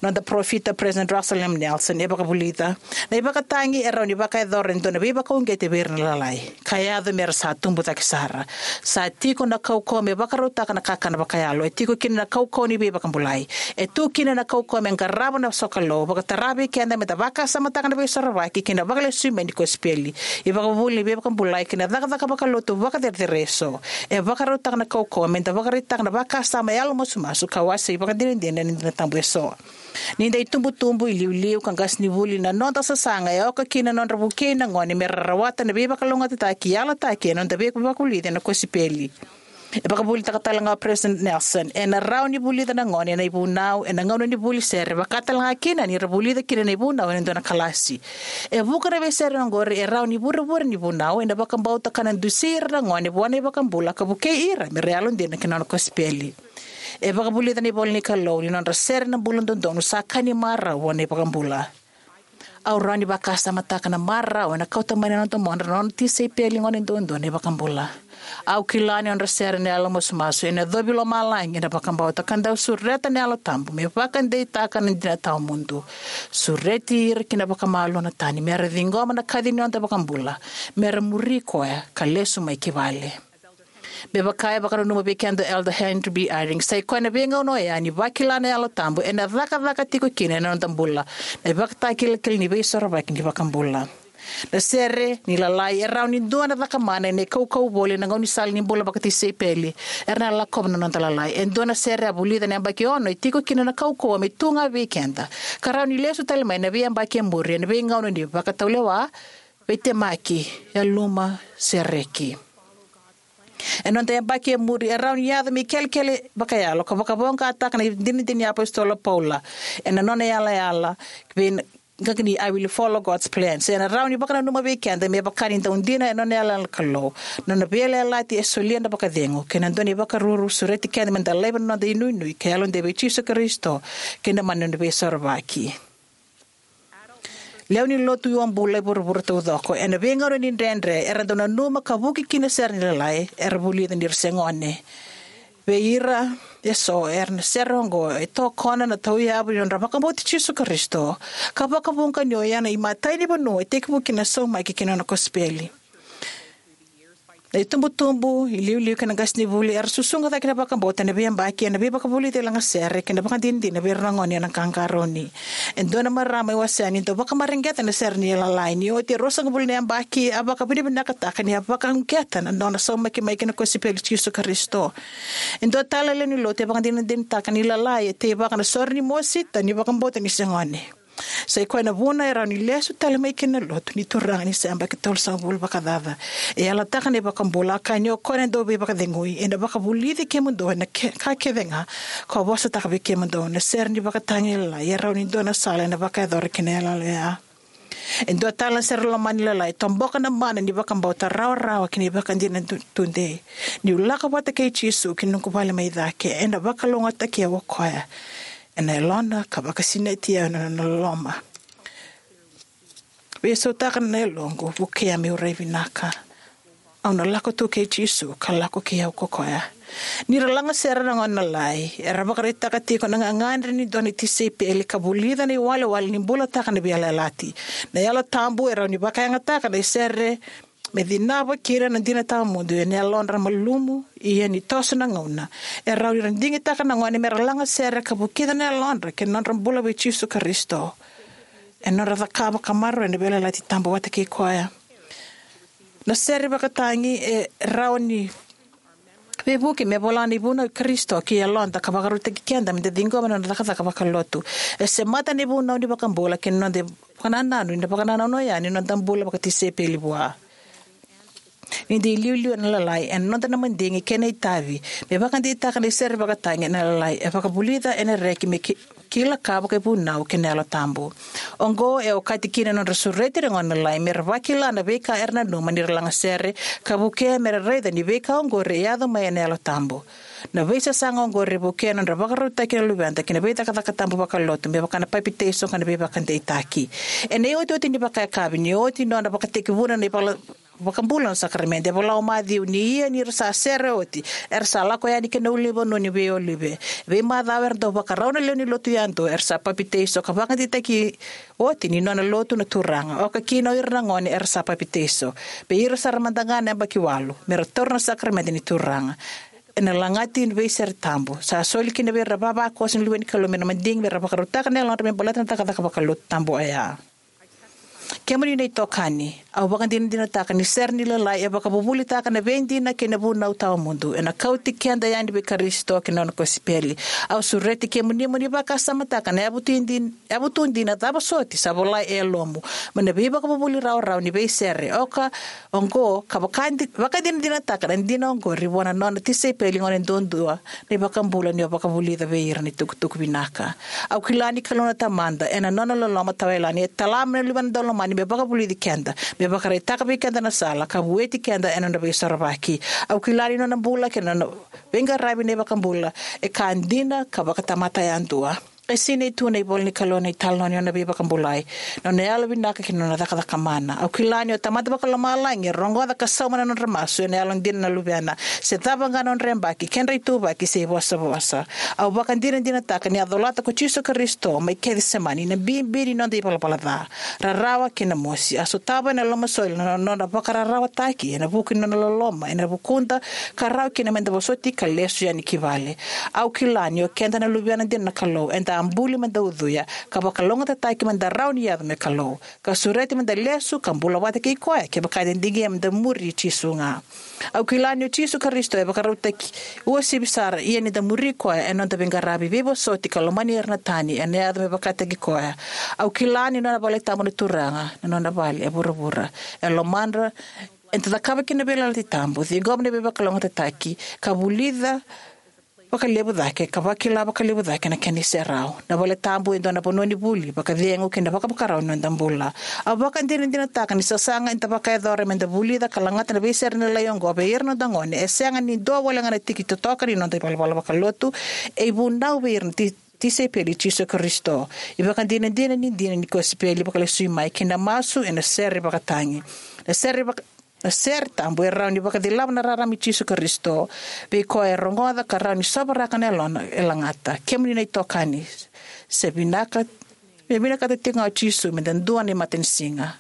Noda parofita, President Russell M. Nelson, e vakavulica: Na ivakatagi e rawa ni vakayacora e dua na veivakauqeti vei ira na Lalai, ka yaco me ra sa tubu cake sara. Sa tiko na kaukauwa me vakarautaka na kakana vakayalo. E tiko kina na kaukauwa ni veivakabulai. E tu kina na kaukauwa me qarava na sokalou, vakatara vei keda me da vakasamataka na veisorovaki kei na vakalesui mai ni kosipeli, ivakavuvuli ni veivakabulai kei na cakacaka vakalotu vakacerecerei eso. E vakarautaka na kaukauwa me da vakaraitaka na vakasama yalomasumasu ka wasei vakadinadina na dina tabu eso. Ni da itubutubu, iliuliu, ka qasenivuli, na noda sasaga e oka kina na nodra vukei na gone me ra rawata na veivakalougatataki yalataki ena noda veivakavulici ena kosipeli. E vakavulitaka tale ga o President Nelson: Ena rawa ni vulica na gone na ivunau ena gauna ni vuli sere, vaka tale ga kina ni ra vulica kina na ivunau ena dua na kalasi. E vuqa na veisere oqori e rawa ni vurevure ni vunau ena vakabauta ka na dusi ira na gone vua na iVakabula ka vukei ira me ra yalodina ki na nona kosipeli. E vakavulica na ivolanikalou ni nodra sere na bula dodonu sa ka ni marau vua na iVakabula. Au rawa ni vakasamataka na marau ena kauta mai na nona domodra na nona tisaipeli gone duadua na iVakabula. Au kila ni nodra sere na yalomasumasu ena yacovi lomalagi ena vakabauta ka dau sureta na Yalo Tabu me vakadeitaka na dina tawamudu. Sureti ira ki na vakamalua na tani me ra ciqoma na kaci ni noda iVakabula, me ra muri koya ka lesu mai ki vale. Me vaka e vakananuma vei keda o Elder Henry B. Eyring, sa i koya na veigauna oya ni vakila na Yalo Tabu ena cakacaka tiko kina ena noda bula na ivakatakilakila ni veisorovaki ni iVakabula. Na sere ni Lalai e rawa ni dua na cakamana ena ikaukau voli ena gaunisala ni bula vakatisaipeli era na lakova na noda Lalai. E dua na sere a vulica ena yabaki ono e tiko kina na kaukauwa me tu ga vei keda, ka rawa ni lesu tale mai ena veiyabaki e muri ena veigauna ni vakataulewa, veitemaki, yaluma, se reki. Ena noda yabaki e muri e rawa ni yaco me ikelekele vakayalo ka vakavoqataka na dinadina ni iApositolo o Paula ena nona yalayala vei na qaqa ni I Will Follow God's Plan. Se ena rawa ni vakananuma vei keda me vaka ni dau dina ena nona yalayala na Kalou na nona veiyalayalati e solia na vakacegu kei na dua na ivakaruru, sureti keda me da laiva na noda inuinui ka yalodei vei Jisu Karisito kei na mana ni nona veisorovaki. Lewe ni lotu uabula e vuravura taucoko, ena veigauna ni dredre, era dau nanuma ka vuki kina na sere ni Lalai era vulica ni ra se gone. Vei ira eso, era na sere oqo e tokona na tauyavu ni nodra vakabauti Jisu Karisito ka vakavuqa ni oya na imatai ni vanua e tekivu kina na saumaki ki na nona kosipeli. Na itubutubu, iliuliu kei na qasenivuli era susuga cake na vakabauta ena veiyabaki ena veivakavulici e lagasere kei na vakadinadina vei ira na gone ena qaqarauni. E dua na marama e wasea ni dau vakamareqeta na sere ni Lalai ni oti e ruasagavulu na yabaki a vakavinavinakataka ni a vakauqeta na nona saumaki mai ki na kosipeli i Jisu Karisito. E dua tale na lewe ni lotu e vakadinadinataka ni Lalai e teivaka na sore ni mosita ni vakabauta ni se gone. Sa i koya na vuna e rawa ni lesu tale mai kina na lotu ni Turaga ni se yabaki tolusagavulu vakacaca. E yalataka na iVakabula, a kaya ni o koya na dauveivakacegui, ena vakavulici kemudou ena ke-, ka kece ga kau vosataka vei kemudou. Na sere ni vakatagi Lalai e rawa ni dua na sala ena vakayacora kina na yalayala oya. E dua tale na sere lomani Lalai e toboka na mana ni vakabauta rawarawa kei na ivakadinadina tu-, tudei. Niu lako vata kei Jisu ki noqu vale mai cake, ena vakalougatataki au o koya ena yalona ka vakasinaiti au ena nona loloma. Veisautaka na yaloqu, vukea meu rai vinaka. Au na lako tu kei Jisu ka lako kei au ko koya. Ni ra lagasere na gone Lalai, era vakaraitaka tiko na gagadre ni dua na tisaipeli ka vulica na iwalewale ni bulataka na veiyalayalati. Na Yalo Tabu e rawa ni vakayagataka na isere me cinava kina na dina tawamudu ena yalodra malumu. Ia ni toso na gauna, e rawa ni ra digitaka na gone me ra lagasere ka vukica na yalodra kei na nodra bula vei Jisu Karisito ena nodra cakava ka maroroya na veiyalayalati tabu vata kei koya. Na sere vakatagi e rawa ni veivuke me vola na ivunau i Karisito ki yaloda ka vakarautaki keda me da ciqoma na noda cakacaka vakalotu. E semata na ivunau ni iVakabula kei na noda vakanananu ena vakanananu oya ni noda bula vakatisaipeli vua. Ni da iliuliu ena Lalai, ena noda na madigi kei na itavi me vakadeitaka na isere vakatagi ena Lalai e vakavulica ena reki me ki-, kila ka vakaivunau kei na Yalo Tabu. Oqo e okati kina na nodra sureti ira na gone na Lalai me ra vakila na veika era nanuma ni ra lagasere, ka vukea me ra raica ni veika oqori e yaco mai ena Yalo Tabu. Na veisasaga oqori e vukea na nodra vakarautaki na luveda ki na veicakacaka tabu vakalotu, me vaka na papitaiso ka na veivakadeitaki. Ena iotioti ni vakayakavi, ni oti nona vakatekivuna na ivala vakabula na sakaramede, e vola o Maciu ni ia ni ra sa sere oti, era sa lako yani ki na ulunivanua ni veiolive. Veimacawa era dau vakarau na lewe ni lotu yadua, era sa papitaiso ka vakadeitaki oti ni nona lotu na Turaga. Oka kina o ira na gone era sa papitaiso, vei ira sara mada ga na yabaki walu, me ra taura na sakaramede ni Turaga. Ena lagati ni veisere tabu, sa soli kina vei ira na ivavakoso ni luve ni Kalou mai na madigi me ra vakarautaka na yalodra me baleta na cakacaka vakalotu tabu oya. Kemuni na itokani, au vakadinadinataka ni sere ni Lalai e vakavuvulitaka na veidina kei na vunau tawamudu. Ena kauti keda yani vei Karisito kei na nona kosipeli. Au sureti kemuni mo ni vakasamataka na yavutu dina, yavutu dina cava soti sa volai e yalomu mai na veivakavuvuli rawarawa ni veisere. Oka oqo ka vakadi-, vakadinadinataka na dina oqori vua na nona tisaipeli gone duadua na iVakabula ni o vakavulica vei ira na itukutuku vinaka. Au kila ni Kalou na Tamada, ena nona loloma tawayalani, e tala mai na Luvena Daulomani me vakavulici keda, me vakaraitaka vei keda na sala, ka vueti keda ena nona veisorovaki. Au kila ni nona bula kei na nona veiqaravi na iVakabula e ka dina ka vakatamata yadua. E sinai tu ena ivola ni Kalou na italanoa ni nona veivakabulai, nona yalovinaka kei na nona cakacaka mana. Au kila ni o Tamada Vakalomalagi e rogoca ka sauma na nodra masu ena yalodina na luvena. Se cava ga na nodra yabaki, kedra ituvaki se ivosavosa. Au vakadinadinataka ni a colata ko Jisu Karisito mai Kecisemani na bibi ni noda ivalavala ca, rarawa kei na mosi. A sotava ena lomasoli na nona vakararawataki ena vuku ni nona loloma ena vukuda, ka rawa kina meda vosoti ka lesu yani ki vale. Au kila ni o keda na luvena dina na Kalou, eda a buli meda ucuya ka vakalougatataki meda rawa ni yaco me Kalou, ka sureti meda lesu ka bula vata kei koya kevaka eda digia meda muri Jisu ga. Au kila ni o Jisu Karisito e vakarautaki uasivi sara, ia ni da muri koya ena noda veiqaravi, veivosoti ka lomani ira na tani, ena yaco me vakataki koya. Au kila ni nona vale tabu na Turaga, na nona vale e vuravura. E lomadra, eda cakava kina na veiyalayalati tabu, ciqoma na veivakalougatataki, ka vulica vakalevu cake, ka vakila vakalevu cake na kena iserau. Na vale tabu e dua na vanua ni vuli, vakacegu kei na vakavakarau ni noda bula. Au vakadinadinataka ni sasaga eda vakayacora meda vulica ka lagata na veisere ni Lalai oqo vei ira na noda gone e sega ni dua wale ga na tiki totoka ni noda ivalavala vakalotu, e ivunau vei ira na ti-, tisaipeli i Jisu Karisito. Ivakadinadina ni dina ni kosipeli vakalesui mai kei na masu ena sere vakatagi. Na sere vaka-, na sere tabu e rawa ni vakacilava na rarama i Jisu Karisito vei koya e rogoca, ka rawa ni sovaraka na yalona e lagata. Kemuni na itokani, se vinaka, me vinakata tiko ga o Jisu meda dua na imatanisiga.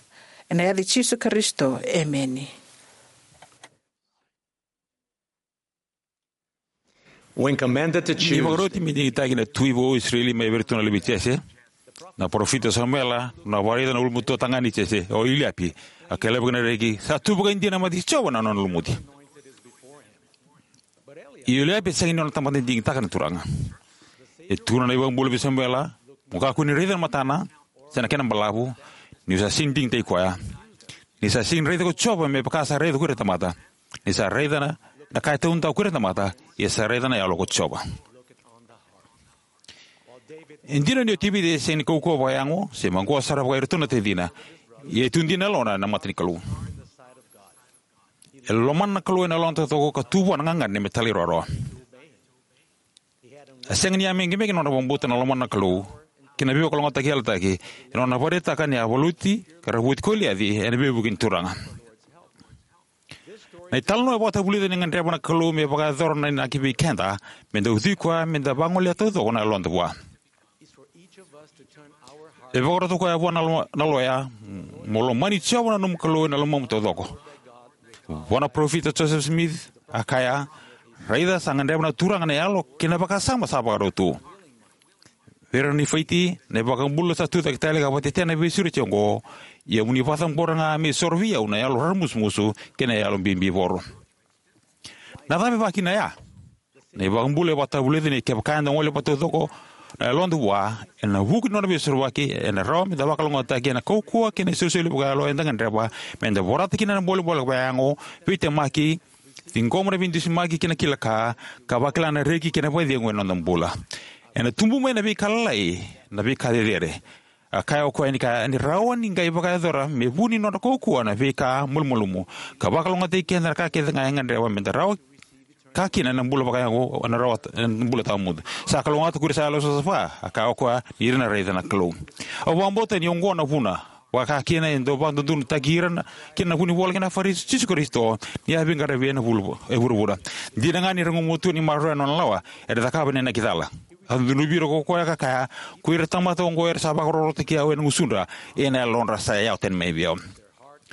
Ena yaca i Jisu Karisito, emeni. When commanded to choose, ni vakaroti me digitaki na tui vou o Isireli mai vei iratou na luve i Jese, na parofita o Samuela, na vakaraica na ulumatua tagane i Jese, o Iliapi, a kaya laivi ena reki, sa tu vakaidina na mata i Jiova na nona lumuti. Ia o Iliapi e sega ni nona tamata ni digitaka na Turaga. E tukuna na iVakabula vei Samuela, mo kakua ni raica na matana, se na kena balavu, niu sa sega ni digitaki koya. Ni sa sega ni raica ko Jiova me vaka sa raica ko ira na tamata. Ni sa raica na, na ka e taudaku ko ira na tamata, ia sa raica na yalo ko Jiova. E dina ni o Tevita e sega ni kaukauwa vakayago, se maqosa sara vaka iratou na tacina, ia e tu dina na yalona ena mata ni Kalou. E lomana na Kalou ena yalona taucoko ka tu vua na gagadre me talairawarawa. A sega ni yamekemeke na nona vakabauta na lomana na Kalou kei na veivakalougatataki yalataki, ena nona vakaraitaka ni a valuti ka ravuti Koliaci ena veivuke ni Turaga. Na italanoa e vakatavulica ni gadreva na Kalou me vakayacora na inaki vei keda, meda ucui koya, meda vagoleya taucoko na yaloda vua. E vakarota o koya vua na lo-, na loya, mo lomani Jiova na nomu Kalou ena lomamu taucoko. Vua na parofita Joseph Smith, a kaya, "Raica sa gadreva na Turaga na yalo kei na vakasama sa vakarau tu." Vei ira na Nifaiti, na iVakabula sa tucake tale ka vakatetei na veisureti oqo, "Ia mo ni vakacabora ga me isoro vei au na yalo raramusumusu kei na yalo bibivoro." Na cava e vakakina ya? Na iVakabula e vakatavulica ni kevaka eda gole vakataucoko na yaloda vua ena vuku ni nona veisorovaki, ena rawa meda vakalougatataki ena kaukauwa kei na isolisoli vakayalo eda gadreva meda vorata kina na bolebole vakayago, veitemaki, ciqoma na veidusimaki kei na kila ka, ka vakila na reki kei na vakacegu ena noda bula. Ena tubu mai na veika lalai na veika cecere. A kaya o koya ni ka ni rawa ni qai vakayacora me vu ni nodra kaukauwa na veika malumalumu, ka vakalougatataki keda na ka kece ga e gadreva meda rawa ka kina ena bula vakayago, ena rawa ena bula tawamudu. Sa kalougata ko ira sa yalo savasava, a kaya o koya, ni ira na raica na Kalou. Au vakabauta ni oqo na vuna vaka kina e dau vakadodonutaki ira na, kina na vunivola kei na Farisi o Jisu Karisito ni a veiqaravi ena vulu, e vuravura. Dina ga ni ra gumatua ni maroroya na nona lawa, era cakava na inaki cala. A cunuvi ira ko koya ka kaya, "Ko ira na tamata oqo era sa vakarorotaki au ena gusudra, ia na yalodra sa yawa tani mai vei au."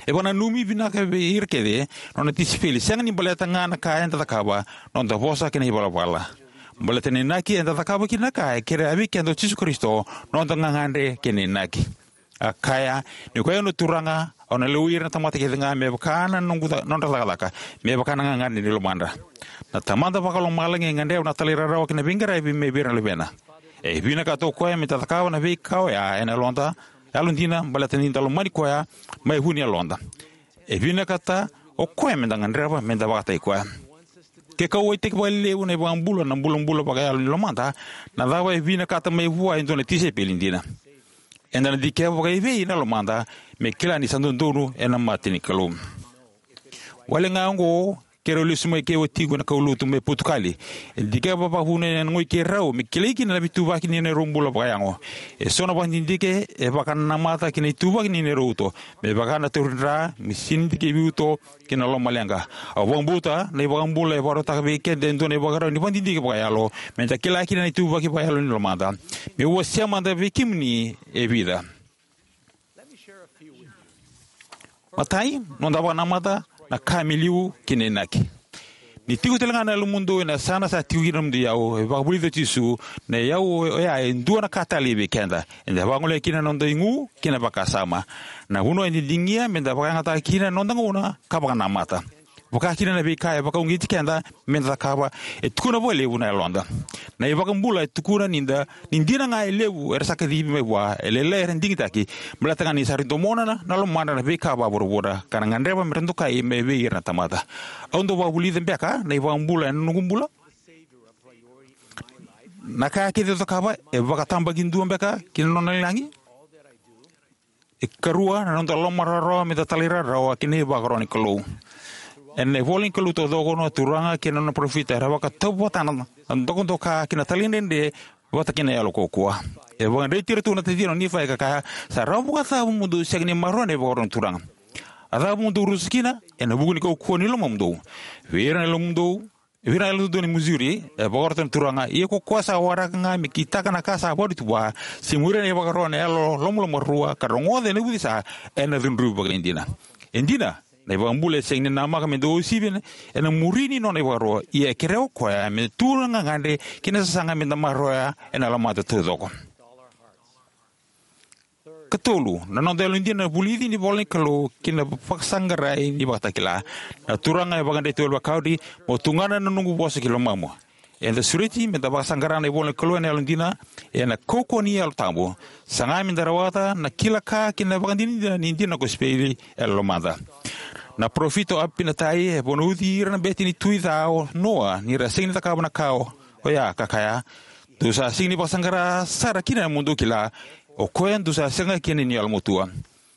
E vakananumi vinaka vei ira kece na nona tisaipeli, sega ni baleta ga na ka eda cakava, noda vosa kei na ivalavala. Baleta na inaki eda cakava kina na ka e kerea vei keda o Jisu Karisito, noda gagadre kei na inaki. A kaya, "Ni o koya na Turaga, au na lewai ira na tamata kece ga me vaka na noqu ca-, nodra cakacaka, me vaka na gagadre ni lomadra." Na Tamada Vakalomalagi e gadreva na talairawarawa kei na veiqaravi mai vei ira na luvena. E vinakata o koya meda cakava na veika oya ena yaloda, yalodina, baleta ni da lomani koya mai vu ni yaloda. E vinakata o koya meda gadreva meda vakataki koya. Ke kauwaitaki vakalevu na iVakabula na bulabula vakayalo ni lomada, na cava e vinakata mai vua e dua na tisaipeli dina? Eda na dikeva vakaivei na lomada me kila ni sa dodonu ena mata ni Kalou? Wale ga oqo, keirau lesu mai kei watiqu ena kaulotu mai Potukali. E dikeva vakavuna ena goi keirau me kilai kina na veituvaki ni neirau bula vakayago. Eso na vakadidike e vakanamata ki na ituvaki ni neirau uto, me vaka na tauri dra, me sini dikevi uto, kei na lomaleqa. Au vakabauta na iVakabula e vakarautaka vei keda e dua na ivakarau ni vakadidike vakayalo meda kila kina na ituvaki vakayalo ni lomada. Meu wasea mada vei kemuni e vica. Matai, noda vakanamata na ka me liu kei na inaki. Ni tiko tale ga na yalomudou ena yasana sa tiko kina na nomudou iyau, e vakavulica o Jisu, na iyau oya e dua na ka talei vei keda. Eda vagolea kina na noda igu kei na vakasama. Na vanua e didigia meda vakayagataka kina na noda gauna ka vakanamata. Vaka kina na veika e vakauqeti keda meda cakava, e tukuna vakalevu na yaloda. Na iVakabula e tukuna ni da, ni dina ga e levu era sa kacivi mai vua, e lailai era digitaki, baleta ga ni sa rui domona na, na lomadra na veika vakavuravura, ka ra gadreva mera dokai mai vei ira na tamata. Au dau vakavulica beka na iVakabula ena noqu bula? Na ka kece au cakava e vakatabakidua beka ki na nona lagi? E karua, na noda lomarawarawa meda talairawarawa ki na ivakaro ni Kalou. Ena ivola ni Kalou taucoko, na Turaga kei na nona parofita era vakatauvatana na dokadoka ki na talaidredre vata kei na yalo kaukauwa. E vakadreti iratou na taciqu o Nifai ka kaya, "Sa rawa vakacava mo dou sega ni maroroya na ivakaro ni Turaga? A cava mo dou rusa kina ena vuku ni kaukauwa ni lomamudou?" Vei ira na lomamudou, vei ira na yalododonu e Missouri, e vakarautaka na Turaga, "Ia ko koya sa waraka ga me kitaka na ka sa vakarautaki vua, se muria na ivakaro ena yalo lomalomarua, ka rogoca ena ucisa, ena cudruvi vakaidina." E dina, na iVakabula e sega ni namaka me dou uasivi ena muri ni nona ivakaro, ia e kerea o koya me tu na gagadre kei na sasaga meda maroroya ena lomada taucoko. Katolu, na noda yalodina na vulici ni ivola ni Kalou kei na vakasaqarai ni Vakatakila. Na Turaga e vakadreti Oliver Cowdery, "Mo tugana na noqu vosa ki lomamu." Eda sureti meda vakasaqara na ivola ni Kalou ena yalodina, ena kaukauwa ni Yalo Tabu. Saga meda rawata na kila ka kei na vakadinadina ni dina na kosipeli e lomada. Na parofita o Apinatai e vunauci ira na bete ni tui ca o Noa ni ra sega ni cakava na ka oya, ka kaya, "Dou sa sega ni vakasaqara sara kina mo dou kila, o koya dou sa sega kina ni yalomatua."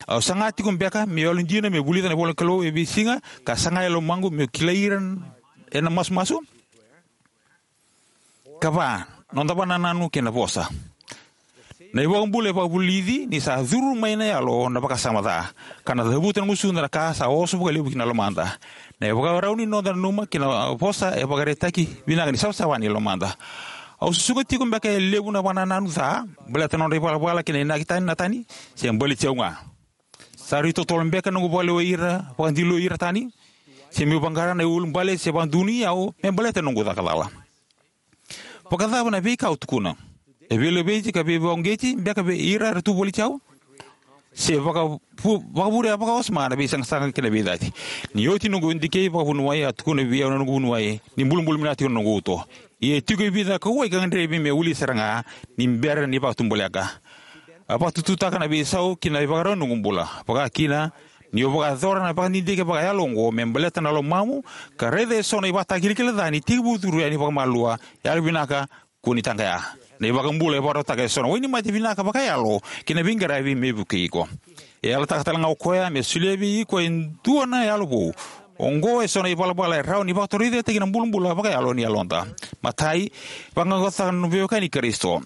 Au saga tiko beka meu yalodina meu vulica na ivola ni Kalou e veisiga ka saga e lomaqu meu kilai ira ena masumasu? Kava, noda vakanananu kei na vosa. Na iVakabula e vakavulici ni sa curu mai na yalo na vakasama ca, ka na cavuta na gusuda na ka sa oso vakalevu ki na lomada. Na ivakarau ni noda nanuma kei na vosa e vakaraitaki vinaka ni savasava ni lomada. Au susuga tiko beka e levu na vakanananu ca baleta na nodra ivalavala kei na inaki tani na tani, se baleti au ga? Sa rui totolo beka na noqu vakalewai ira, vakadiloi ira tani? Se meu vaqara na iulubale se vakadonuya au me baleta na noqu caka cala. Vakacava na veika au tukuna? E veilaveti ka veivakauqeti beka vei ira era tu voliti au? Se vakavu-, vakavure vakawasoma na veisaqasaqa kei na veicati? Ni oti noqu dikei vakavuniwai, a tukuna vei au na noqu vuniwai ni bulabula vinaka tiko na noqu uto. Ia e tiko e vica kauwai ka gadrevi me wili sara ga ni bera ni vakatubuleqa. A vakatututaka na veisau ki na ivakarau ni noqu bula. Vakakina, niu vakayacora na vakadidike vakayalo oqo me baleta na lomamu, ka raica eso na ivakatakilakila ca ni tekivu curu yani vakamalua, yalovinaka, kua ni taqaya. Na iVakabula e vakarautaka eso na wainimate vinaka vakayalo kei na veiqaravi me vukei iko. E yalataka talega o koya me solia vei iko e dua na yalo vou. Oqo eso na ivalavala e rawa ni vakatorocaketaki na bulabula vakayalo ni yaloda. Matai, vaqaqacotaka na veiwekani Karisito.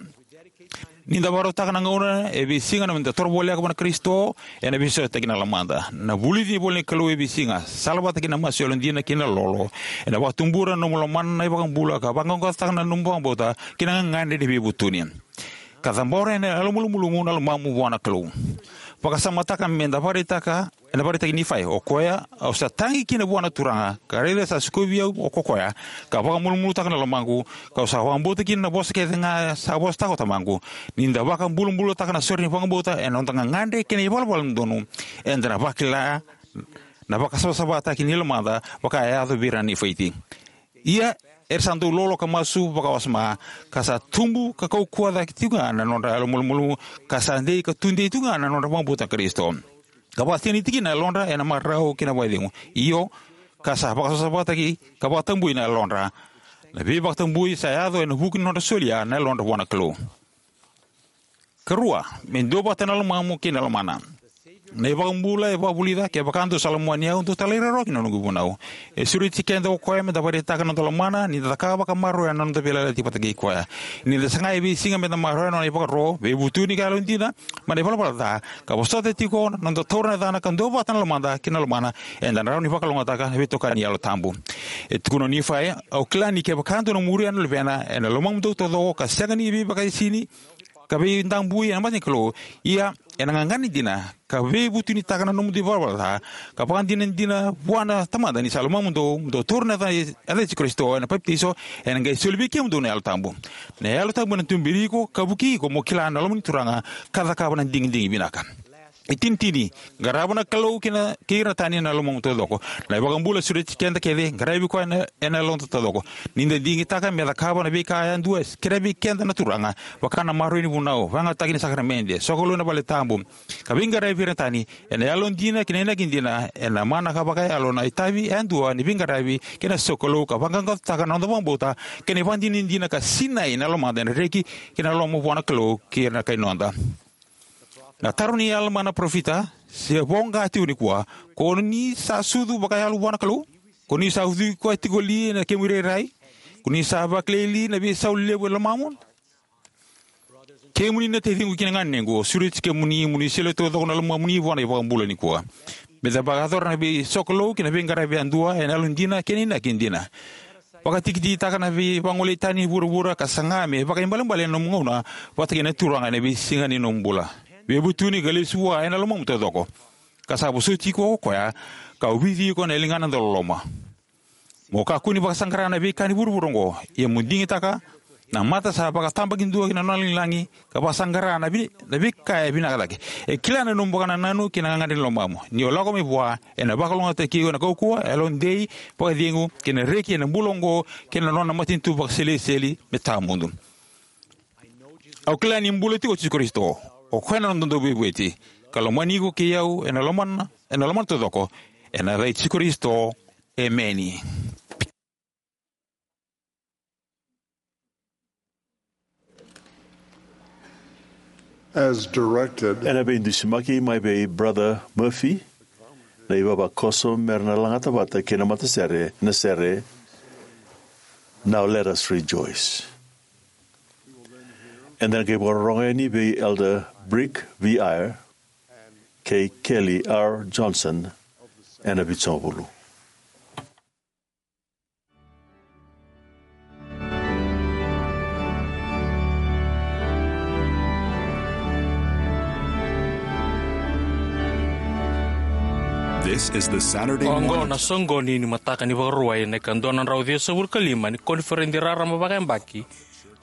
Ni da vakarautaka na gauna e veisiga na noda toro voleka vua na Karisito, ena veisautaki na lomada. Na vulici ni ivola ni Kalou e veisiga, salavata kei na masu yalodina kei na lolo, ena vakatubura na nomu lomana na iVakabula ka vaqaqacotaka na nomu vakabauta kei na gagadre ni veivutuni. Ka cabora ena yalomalumalumu na lomamu vua na Kalou. Vakasamataka me da vakaraitaka, ena vakaraitaki Nifai, o koya, au sa tagi kina vua na Turaga, ka raica sa sikovi au o ko koya, ka vakamalumalumutaka na lomaqu, kau sa vakabauta kina na vosa kece ga sa vosataka o tamaqu. Ni da vakabulabulataka na sore ni vakabauta ena noda gagadre kei na ivalavala dodonu, eda na vakila na vakasavasavataki ni lomada vaka e yaco vei ira na Nifaiti. Ia, era sa dau lolo ka masu vakawasoma, ka sa tubu ka kaukauwa cake tiko ga na nodra yalomalumalumu, ka sa dei ka tudei tiko ga na nodra vakabauta na Karisito. Ka vakasinaiti kina na yalodra ena marau kei na vakacegu. Io, ka sa vakasavasavataki ka vakatabui na yalodra. Na veivakatabui sa yaco ena vuku ni nodra solia na yalodra vua na Kalou. Karua, me duavata na lomamu kei na lomana. Na iVakabula e vakavulica, kevaka dou sa lomani au, dou talairawarawa ki na noqu ivunau. E sureti keda o koya me da vakaraitaka na noda lomana ni da cakava ka maroroya na noda veiyalayalati vata kei koya. Ni da saga e veisiga me da maroroya na nona ivakaro, veivutuni ka yalodina mai na ivalavala ca, ka vosota tiko na noda taura na yacana ka duavata na lomada kei na lomana, eda na rawa ni vakalougatataka na veitokani ni Yalo Tabu. E tukuna o Nifai, au kila ni kevaka dou na muria na Luvena, ena lomamudou taucoko ka sega ni veivakaisini, ka veidabui ena mata ni Kalou, ia ena gagadre dina, ka veivutunitaka na nomudou ivalavala ca, ka vakadinadina vua na Tamada ni sa lomamudou, mo dou taura na yaca, yaca i Jisu Karisito ena papitaiso, ena qai soli vei kemudou na Yalo Tabu. Na Yalo Tabu ena tuberi iko, ka vukei iko mo kila na loma ni Turaga, ka cakava na digidigi vinaka. Itinitini, qarava na Kalou kei na, kei ira na tani ena lomamu taucoko. Na iVakabula sureti keda kece, qaravi koya ena, ena yaloda taucoko. Ni da digitaka me cakava na veika yadua e kerea vei keda na Turaga, vaka na maroroi ni vunau, vakayagataki ni sakaramede, sokalou ena vale tabu, ka veiqaravi vei ira na tani, ena yalodina kei na inaki dina, ena mana ka vakayalo na itavi yadua ni veiqaravi kei na sokalou, ka vaqaqacotaka na noda vakabauta kei na ivakadinadina, ka sinai na lomada ena reki kei na loloma vua na Kalou kei ira na kai noda. Na taro ni Alama na parofita se voqa tiko nikua: Ko ni sa sucu vakayalo vua na Kalou? Ko ni sa ucui koya tiko li ena kemu irairai? Ko ni sa vakilai li na veisau levu e lomamu? Kemuni na taciqu kei na ganequ, au sureti kemuni mo ni solia taucoko na lomamuni vua na iVakabula nikua. Me da vakayacora na veisokalou kei na veiqaravi yadua ena yalodina kei na inaki dina. Vakatikitiki taka na veivagolei tani ni vuravura ka saga me vakaibalebale na nomu gauna vata kei na Turaga ena veisiga ni nomu bula. Veivutuni ka lesu vua ena lomamu taucoko. Ka sa vosoti iko ko koya, ka ovici iko ena ligana dauloloma. Mo kakua ni vakasaqara na veika ni vuravura oqo, ia mo digitaka na mata sa vakatabakidua ki na nona lagilagi, ka vakasaqara na vi-, na veika e vinaka cake. E kila na nomu vakanananu kei na gagadre ni lomamu. Ni o lako mai vua, ena vakalougatataki iko ena kaukauwa, yalodei, vakacegu, kei na reki ena bula oqo, kei na nona matanitu vakaseleseli me tawamudu. Au kila ni bula tiko o Jisu Karisito, o koya na noda Dauveivueti, ka lomani iko kei au ena lomana, ena lomana taucoko, ena yaca i Jisu Karisito, emeni. As directed. Ena veidusimaki mai vei Brother Murphy, na ivavakoso me ra na lagata vata kei na matasere na sere Now Let Us Rejoice. Eda na qai vakarorogo yani vei Elder Brick V. Eyre kei Kelly R. Johnson ena Vitusagavulu. This is the Saturday Oqo morning na soqoni ni mataka ni Vakarauwai, na ikadua na drau ciwasagavulu ka lima ni koniferedi raraba vakayabaki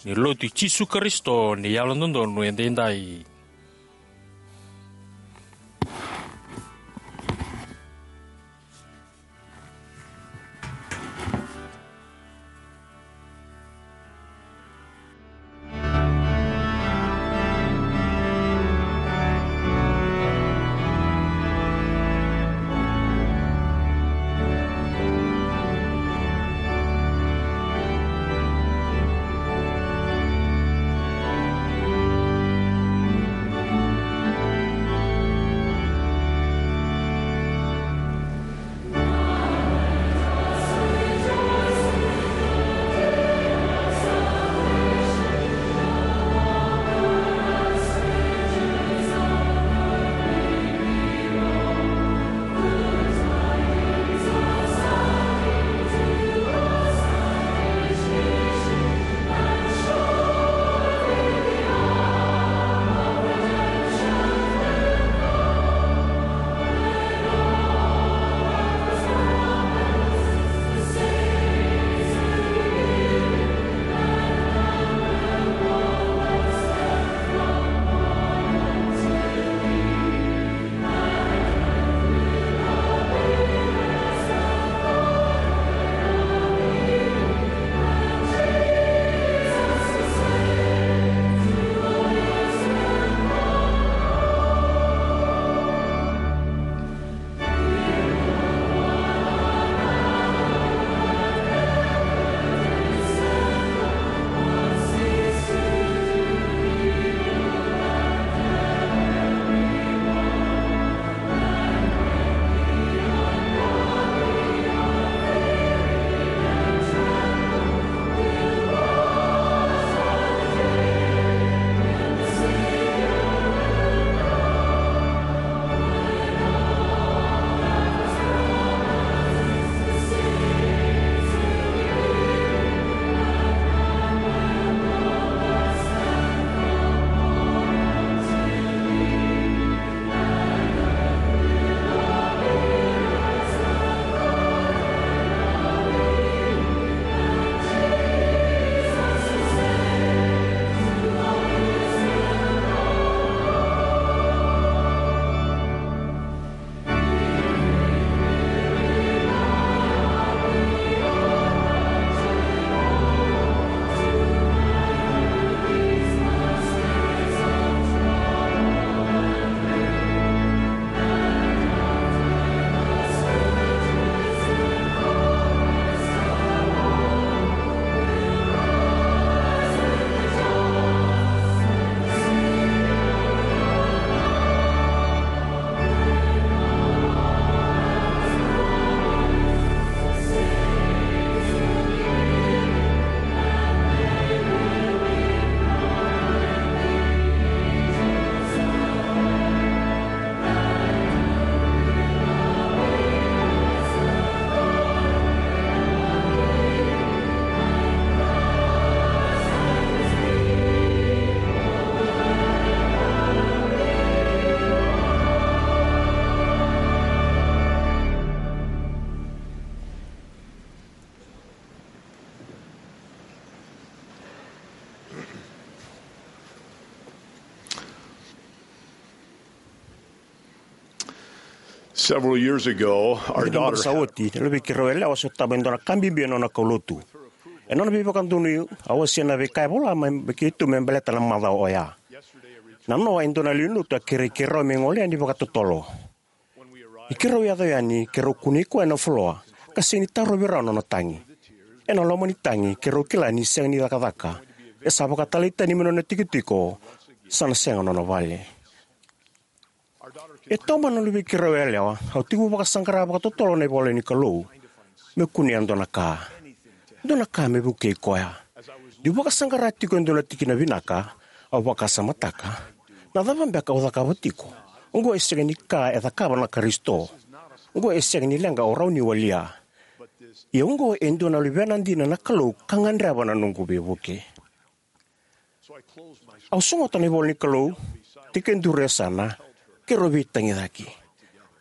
ni Lotu i Jisu Karisito ni Yalododonu Edaidai. Several years ago, our daughter sa oti, na luvei keirau yalewa a sotava e dua na ka bibi ena nona kaulotu. Ena nona veivakadonui, a wasea na veika e vola mai vei keitou me baleta na macawa oya. Na noa e dua na lewe ni lotu a kerei keirau me gole yani vakatotolo. Ni keirau yaco yani, keirau kunei koya ena floor, ka sega ni tarovi rawa na nona tagi. Ena loma ni tagi, keirau kila ni sega ni cakacaka. E sa vakatalai tani mai na nona tikotiko, sa na sega na nona vale. E taumada na luvei keirau yalewa, au tekivu vakasaqara vakatotolo na ivola ni Kalou, meu kunea dua na ka. Dua na ka me vukei koya. Niu vakasaqara tiko e dua na tikina vinaka, au vakasamataka, na cava beka au cakava tiko? Oqo e sega ni ka e cakava na Karisito. Oqo e sega ni leqa au rawa ni walia. Ia oqo e dua na luvena dina na Kalou ka gadreva na noqu veivuke. Au sogota na ivola ni Kalou, tekiduru e yasana, keirau veitagicaki.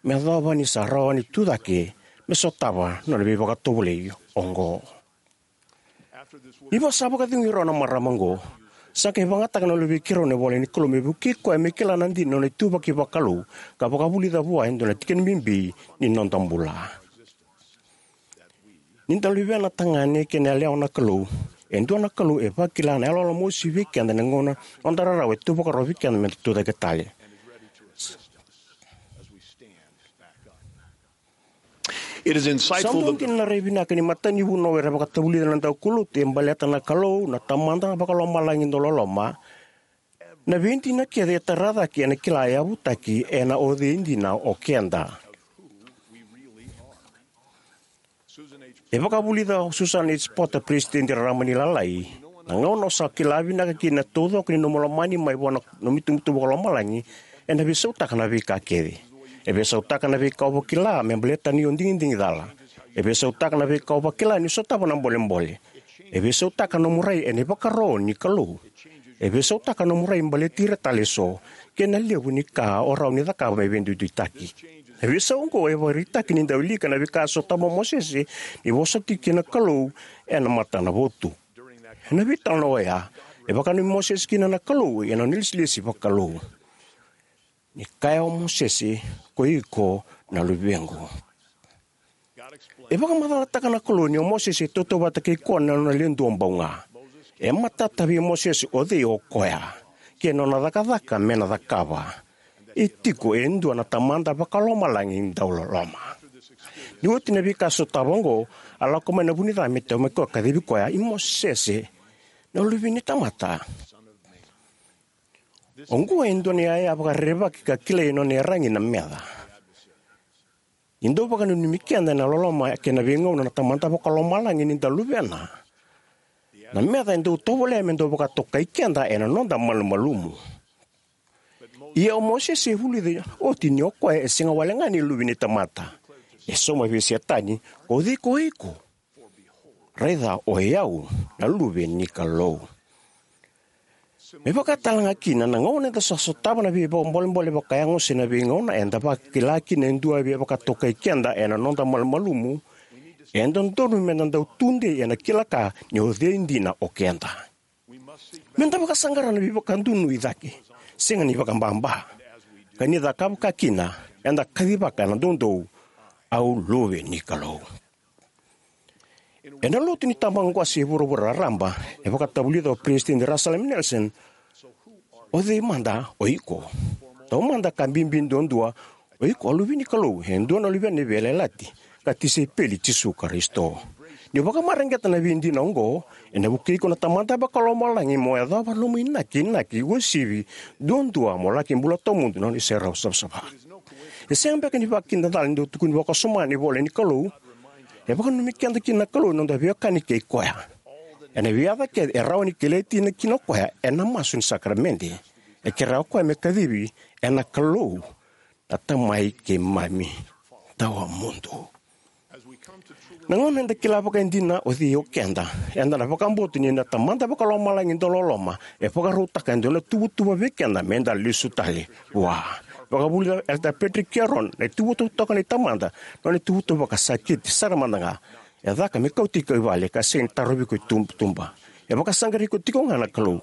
me yacova ni sa rawa ni tucake me sotava na nona veivakatovolei oqo. Ni sa vakacegui rau na marama oqo, sa qai vakayagataka na luvei keirau na ivola ni Kalou me vukei koya me kila na dina ni nona ituvaki vakalou ka vakavulica vua e dua na tikina bibi ni noda bula. Ni da luvena tagane kei na yalewa na Kalou, e dua na Kalou e vakila na yaloyalo mosi vei keda ena gauna noda rarawa e tu vakarau vei keda me da tucake tale. Sa dau dina na rai vinaka ni matanivunau era vakatavulica na daukaulotu e baleta na Kalou na Tamada Vakalomalagi dauloloma. Na veidina kece e tara cake ena kila e yavutaki ena o cei dina o keda. E vakavulica o Susan H. Porter, peresitedi raraba ni Lalai: Na gauna o sa kila vinaka kina na taucoko ni nomu lomani mai vua na nomu itubutubu vakalomalagi, ena veisautaka na veika kece. E veisautaka na veika o vakila me baleta ni o digidigi cala. E veisautaka na veika o vakila ni sotava na bolebole. E veisautaka nomu rai ena ivakaro ni Kalou. E veisautaka nomu rai baleti ira tale eso, kei na levu ni ka o rawa ni cakava me veiduiduitaki. Na veisau oqo e vakaraitaki ni dau wilika na veika a sotava o Mosese ni vosa tiko kei na Kalou ena matanavotu. Ena veitalanoa oya, e vakananumi Mosese kina na Kalou ena nona ilesilesi vakalou. Ni kaya o Mosese, "Ko iko na luvequ." E vakamacalataka na Kalou ni o Mosese e tautauvata kei koya na nona le duabau ga. E matata vei Mosese o cei o koya kei na nona cakacaka me na cakava. E tiko e dua na Tamada Vakalomalagi dauloloma. Ni oti na veika sotava oqo, a lako mai na vunica me taumaki koya, kacivi koya, "I Mosese, na luve ni tamata." Oqo e dua na iyaya vakarerevaki ka kilai e nona iyaragi na meca. Ni dau vakananumi keda ena loloma kei na veigauna na Tamada Vakalomalagi ni da luvena, na meca e dau tovolea me dau vakatokai keda ena noda malumalumu. Ia o Mosese e vulica oti ni o koya e sega wale ga ni luve ni tamata. E sauma vei Setani, "O cei ko iko? Raica, o i au na luve ni Kalou." Me vaka tale ga kina, na gauna eda sa sotava na veivakabolebole vakayago se na veigauna eda vakila kina e dua e via vakatokai keda ena noda malumalumu, e dodonu meda dau tudei ena kila ka ni o cei dina o keda. Meda vakasaqara na veivakadonuya cake, sega ni vakababa. Ka ni cakava vaka kina, eda kacivaka ena doudou, "Au luve ni Kalou." Ena lotu ni tabaqu qase e vuravura raraba, e vakatavulica o Peresitedi Russell M. Nelson, "O cei mada o iko?" Taumada, ka bibi duadua, "O iko a luve ni Kalou, e dua na luvena ni veiyalayalati, ka tisaipeli i Jisu Karisito." Ni o vakamareqeta na veidina oqo, ena vukei iko na Tamada Vakalomalagi mo yacova na nomu inakinaki, uasivi duadua mo laki bula tawamudu na nona iserau savasava. E sega beka ni vakidacala ni dau tukuni vakawasoma na ivola ni Kalou. E vakananumi keda kina na Kalou ena noda veiwekani kei koya. Ena veiyaca kece e rawa ni kilai kina o koya ena masu ni sakaramede. E kerea o koya me kacivi ena Kalou na Tamai keimami tawamudu. Na gauna eda kila vakaidina o cei o keda, eda na vakabauta ni na Tamada Vakalomalagi dauloloma e vakarautaka e dua na tuvatuva vei keda meda lesu tale vua. Vakavulica o Elder Patrick Kearon, na ituvatuva totoka ni Tamada, na nona ituvatuva vakasakiti sara mada ga. E caka me kauti iko i vale ka sega ni tarovi iko i tuba. E vakasaqarai iko tiko ga na Kalou.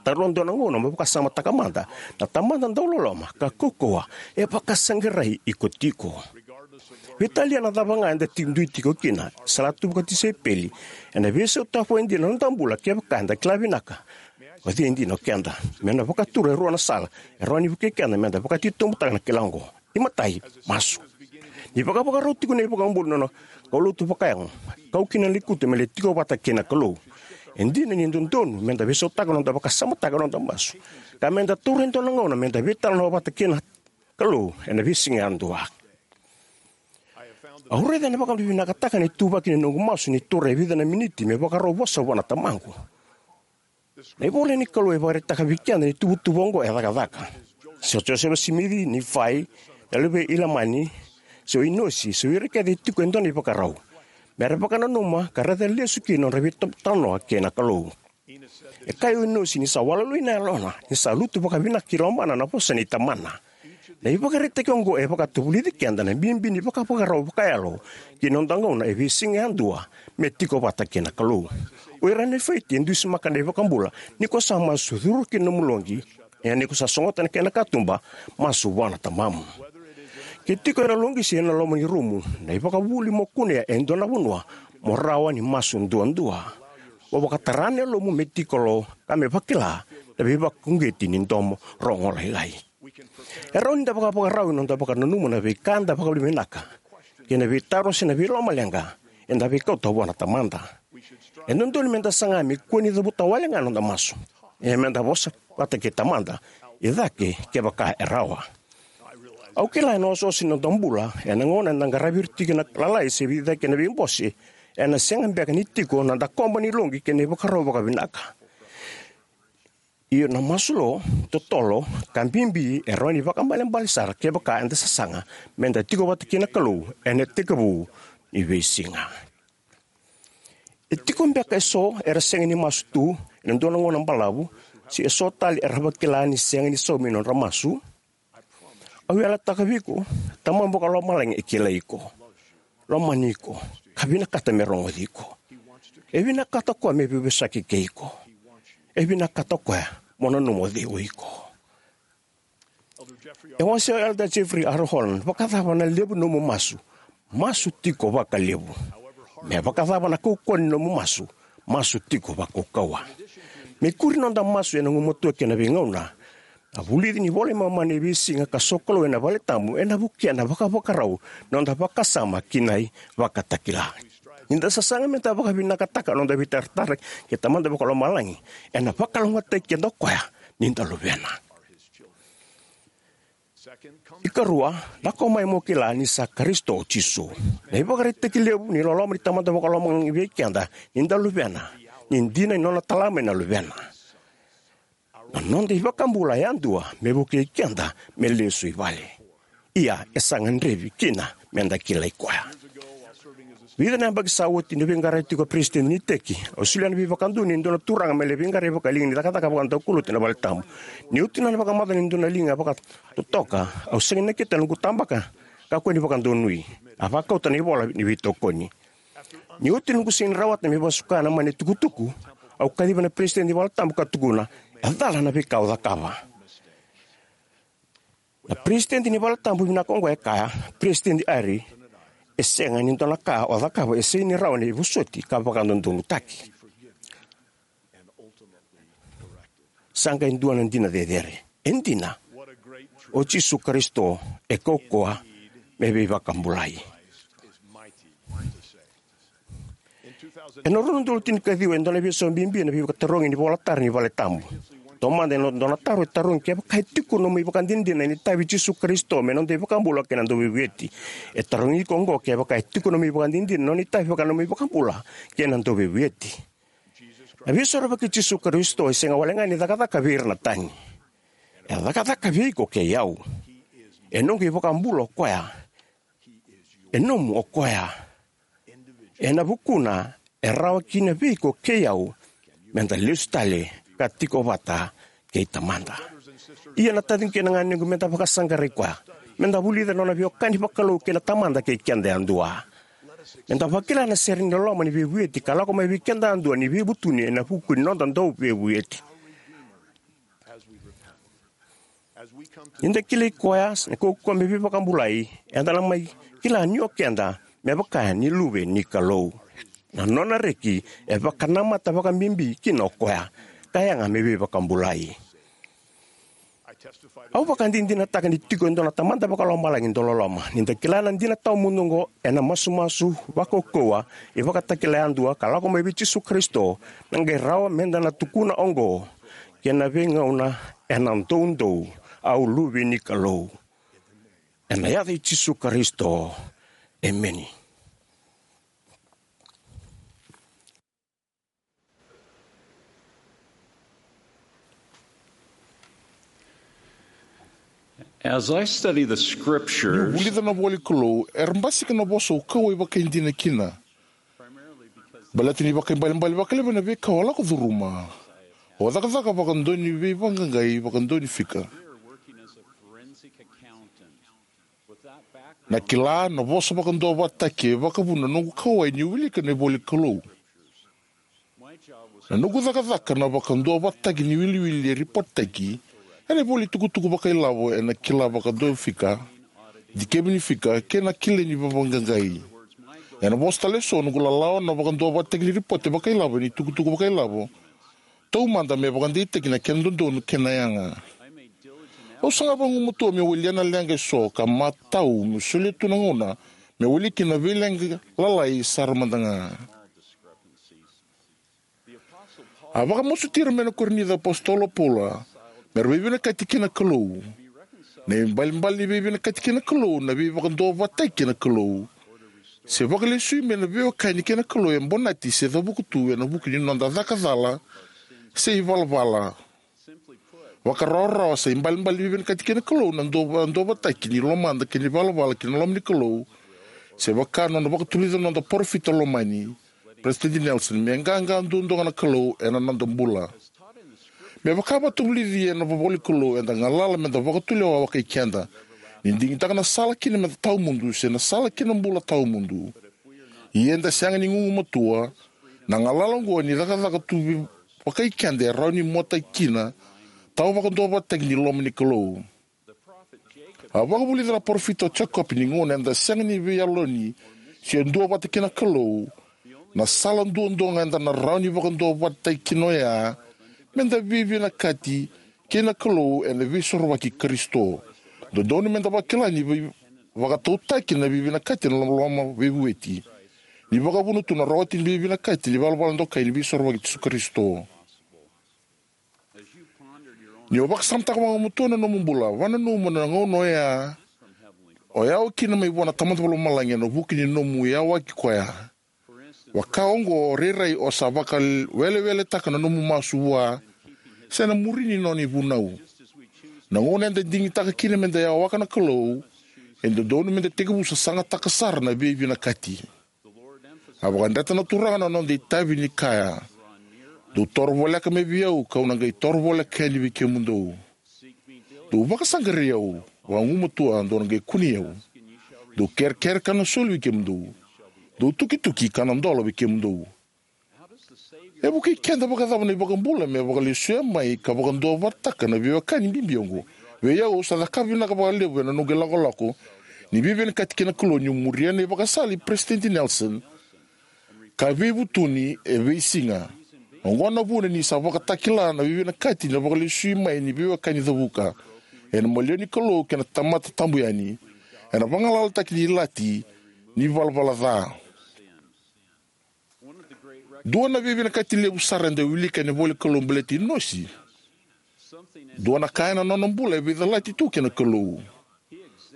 Taura dua na gauna mo vakasamataka mada na Tamada dauloloma ka kaukauwa e vakasaqarai iko tiko. Veitalia na cava ga eda tiko, dui tiko kina, sala tu vakatisaipeli, ena veisautaka vakaidina na noda bula kevaka eda kila vinaka o cei dina o keda. Me na vakatura e rua na sala e rawa ni vukei keda meda vakatitobutaka na kila oqo. Imatai, masu. Ni vakavakarau tiko na iVakabula na nona kaulotu vakayago, kau kina na lekutu me lai tiko vata kei na Kalou, e dina ni dodonu meda veisautaka na noda vakasamataka na noda masu ka meda taura e dua na gauna meda veitalanoa vata kei na Kalou ena veisiga yadua. Au raica ena vakavinavinakataka na ituvaki ni noqu masu ni taura e vica na miniti me vakarau vosa vua na tamaqu. Na ivola ni Kalou e vakaraitaka vei keda ni tuvatuva oqo e cakacaka. Se o Josefa Simici, Nifai, na luvei Ilamani, se o Inosi, se o ira kece e tiko e dua na ivakarau, mera vakananuma ka raica lesu kina na nodra veitalanoa kei na Kalou. E kaya o Inosi ni sa waluwalui na yalona ni sa lutu vakavinaka ki lomana na vosa nei tamana. Na ivakaraitaki oqo e vakatavulici keda na bibi ni vakavakarau vakayalo ki na noda gauna e veisiga yadua me tiko vata kei na Kalou. O ira na Nefaiti e dusimaka na iVakabula: Ni ko sa masu, curu ki na nomu loqi, ia ni ko sa sogota na kena katuba, masu vua na tamamu. Ke tiko ena loqi se ena loma ni rumu, na ivakavuvuli mo kunea e dua na vanua, mo rawa ni masu duadua. Mo vakatara na yalomu me tiko lo ka me vakila na veivakauqeti ni domo rogo lailai. E rawa ni da vakavakarau ena noda vakananuma na veika eda vakavinavinaka kei na veitaro se na veilomaleqa eda veikauta vua na Tamada. E dodonu me da saga me kua ni cavuta wale ga na noda masu, ia me da vosa vata kei Tamada i cake kevaka e rawa. Au kila ena osooso ni noda bula, ena gauna eda qaravi ira tiko na lalai se veicake na veibose, ena sega beka ni tiko na dakoba ni loqi kei na ivakarau vakavinaka. Ia na masu lo, totolo, ka bibi e rawa ni vakaibalebale sara kevaka eda sasaga me da tiko vata kei na Kalou ena itekivu ni veisiga. E tiko beka eso era sega ni masu tu ena dua na gauna balavu, se eso tale era vakila ni sega ni saumi na nodra masu? Au yalataka vei iko, Tamada Vakalomalagi e kilai iko, lomani iko, ka vinakata me rogoci iko. E vinakata o koya me veivosaki kei iko. E vinakata o koya mo nanuma o cei o iko. E wasea o Elder Jeffrey R. Holland: Vakacava na levu ni nomu masu, masu tiko vakalevu. Me vakacava na kaukauwa ni nomu masu, masu tiko vakaukauwa. Me kuri noda masu ena gumatua kei na veigauna, na vulici ni iVola i Momani e veisiga ka sokalou ena valetabu ena vukea na vakavakarau ni noda vakasama ki na ivakatakila. Ni da sasaga me da vakavinakataka na noda veitaratara kei Tamada Vakalomalagi, ena vakalougatataki keda o koya ni da luvena. Ikarua, lako mai mo kila ni sa Karisito o Jisu. Na ivakaraitaki levu ni loloma ni Tamada Vakalomalagi vei keda ni da luvena, ni dina ni nona tala mai na Luvena. Na noda iVakabula yadua me vukei keda me lesu i vale. Ia, e sa gadrevi kina me da kilai koya. Vica na yabaki sa oti, niu veiqaravi tiko ko peresitedi ni iteki, au solia na veivakadonui ni dua na turaga me lai veiqaravi vakaliga ni cakacaka vakadaukaulotu ena valetabu. Ni oti nona vakamacala ni dua na liga vakatotoka, au sega ni nakita na noqu tabaka, kakua ni vakadonui. A vakauta na ivola ni veitokoni. Ni oti noqu sega ni rawata me vakasuka na mani tukutuku, au kaciva na peresitedi ni valetabu ka tukuna, e cala na veika au cakava. Na peresitedi ni valetabu vinaka oqo e kaya, Peresitedi Eyring, e sega ni dua na ka o cakava e sega ni rawa ni vosoti ka vakadodonutaki. Sa qai dua na dina cecere. E dina, o Jisu Karisito e kaukauwa me veivakabulai. Ena rua na udolu tinikaciwa, e dua na veisau bibi ena veivakatarogi ni ivolatara ni valetabu. Taumada, e dua na taro e tarogi kevaka e tiko nomu ivakadinadina ni itavi Jisu Karisito me noda iVakabula kei na Dauveivueti. E tarogi iko oqo kevaka e tiko nomu ivakadinadina na nona itavi vaka nomu iVakabula kei na Dauveivueti. Na Veisorovaki i Jisu Karisito e sega wale ga ni cakacaka vei ira na tani. E cakacaka vei iko kei au. E noqu iVakabula o koya. E nomu o koya. Ena vukuna, e rawa kina vei iko kei au me da lesu tale ka tiko vata kei Tamada. Ia na taciqu kei na ganequ, me da vakasaqarai koya. Me da vulica na nona veiwekani vakalou kei na Tamada kei keda yadua. Me da vakila na sere ni loloma ni veivueti ka lako mai vei keda yadua ni veivutuni ena vuku ni noda Dauveivueti. Ni da kilai koya, na kaukauwa me veivakabulai, eda na mai kila ni o keda me vaka ni luve ni Kalou. Na nona reki e vakanamata vakabibi kina o koya, ka yaga me veivakabulai. Au vakadinadinataka ni tiko e dua na Tamada Vakalomalagi dauloloma. Ni da kila na dina tawamudu oqo, ena masumasu vakaukauwa, ivakatakila yadua ka lako mai vei Jisu Karisito, na qai rawa me da na tukuna oqo kei na veigauna ena doudou: Au luve ni Kalou. Ena yaca i Jisu Karisito, emeni. As I study the scriptures, niu vulica na ivola ni Kalou, era basika na vosa au kauwai vakaidina kina. Baleta ni vakaibalebale vakalevu na veika au a lako curuma. Au cakacaka vakadua ni veivaqaqai, vakadua ni fika. Na kila na vosa vakaduavatataki e vakavuna na noqu kauwai niu wilika na ivola ni Kalou. Na noqu cakacaka na vakaduavatataki ni wiliwili e ripotitaki ena ivola ni tukutuku vakailavo ena kila vakadua fika, dikevi ni fika, kei na kila ni veivaqaqai. Ena vosa tale eso, noqu lalawa na vakaduavatataki ni ripote vakailavo ena itukutuku vakailavo taumada me vakadeitaki na kena dodonu kei na yaga. Au saga vagumatua meu walia na leqa eso ka matau meu solia tu na gauna meu walia kina na veileqa lalai sara mada ga. A vakamasuti ira mai na Korinica na iApositolo o Paula me ra veivinakati kei na Kalou. Na ibalebale ni veivinakati kei na Kalou na veivakaduavatataki kei na Kalou, se vakalesui mai na veiwekani kei na Kalou e bonati se cavuka tu ena vuku ni noda caka cala se ivalavala. Vakarawarawa, sa ibalebale ni veivinakati kei na Kalou na dua, duavatataki ni lomada kei na ivalavala ki na loma ni Kalou, se vaka nona vakatuleca na noda parofita lomani, Peresitedi Nelson, me qaqa duadua ga na Kalou ena noda bula. Me vaka vakavulici ena ivola ni Kalou, eda galala meda vakatulewa vakai keda, ni digitaka na sala kina meda tawamudu se na sala ki na bula tawamudu. Ia eda sega ni gugumatua, na galala oqo ni cakacaka tu vakai keda e rawa ni muataki kina tawa vakaduavatataki ni loma ni Kalou. A vakavulica na parofita o Jekope ni gauna eda sega ni veiyaloni se dua vata kei na Kalou, na sala duadua ga eda na rawa ni vakaduavatataki kina oya meda veivinakati kei na Kalou ena Veisorovaki i Karisito. Dodonu meda vakila ni veivakatautaki na veivinakati ena loloma veivueti, ni vakavuna tu na rawati ni veivinakati ni valavala dokai ni Veisorovaki i Jisu Karisito. Ni o vakasamataka vagumatua na nomu bula, vakananuma na gauna oya o yawa kina mai vua na Tamada Vakalomalagi ena vuku ni nomu yawaki koya. Vaka oqo, rairai o sa vakaweleweletaka na nomu masu vua se na muri ni nona ivunau. Na gauna eda digitaka kina meda yawaka na Kalou, e dodonu meda tekivu sasagataka sara na veivinakati. A vakadreta na Turaga na noda itavi ni kaya: Dou toro voleka mai vei au, kau na qai toro voleka yani vei kemudou. Dou vakasaqarai au vagumatua, dou na qai kunei au. Dou kerekere, ka na soli vei kemudou. Dou tukituki, ka na dola vei kemudou. E vukei keda vakacava na iVakabula me vakalesuya mai ka vakaduavatataka na veiwekani bibi oqo? Vei au, au sa cakava vinaka vakalevu ena noqu ilakolako ni veivinakati kei na Kalou niu muria na ivakasala i Peresitedi Nelson ka veivutuni e veisiga. Oqo na vuna ni sa vakatakila na veivinakati na vakalesui mai ni veiwekani cavuka ena maliwa ni Kalou kei na tamata tabu yani, ena vagalalataki ni ilati ni valavala ca. Dua na veivinakati levu sara eda wilika ena ivola ni Kalou baleti Inosi. Dua na ka ena nona bula e veicalati tu kei na Kalou.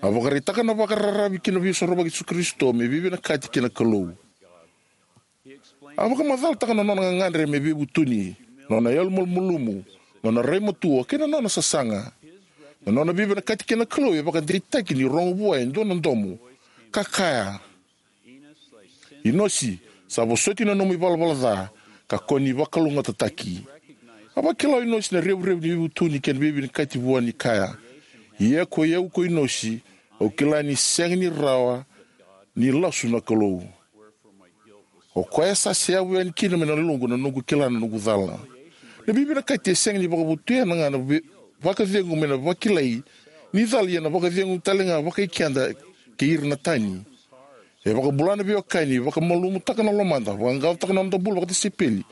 A vakaraitaka na vakararavi ki na Veisorovaki i Jisu Karisito me veivinakati kei na Kalou. A vakamacalataka na nona gagadre me veivutuni, nona yalomalumalumu, nona rai matua, kei na nona sasaga. Na nona veivinakati kei na Kalou e vakadeitaki ni rogo vua e dua na domo ka kaya: Inosi, sa vosoti na nomu ivalavala ca, ka ko ni vakalougatataki. A vakila o Inosi na revurevu ni veivutuni kei na veivinakati vua ni kaya: Ia koi au ko Inosi, au kila ni sega ni rawa ni lasu na Kalou. O koya sa seyavu yani kina mai na yaloqu na noqu kila na noqu cala. Na veivinakati e sega ni vakavotuyana ga na vei-, vakacegu mai na vakilai ni cala, ia na vakacegu talega vakai keda kei ira na tani. E vakabula na veiwekani, vakamalumutaka na lomada, vaqaqacotaka na noda bula vakatisaipeli,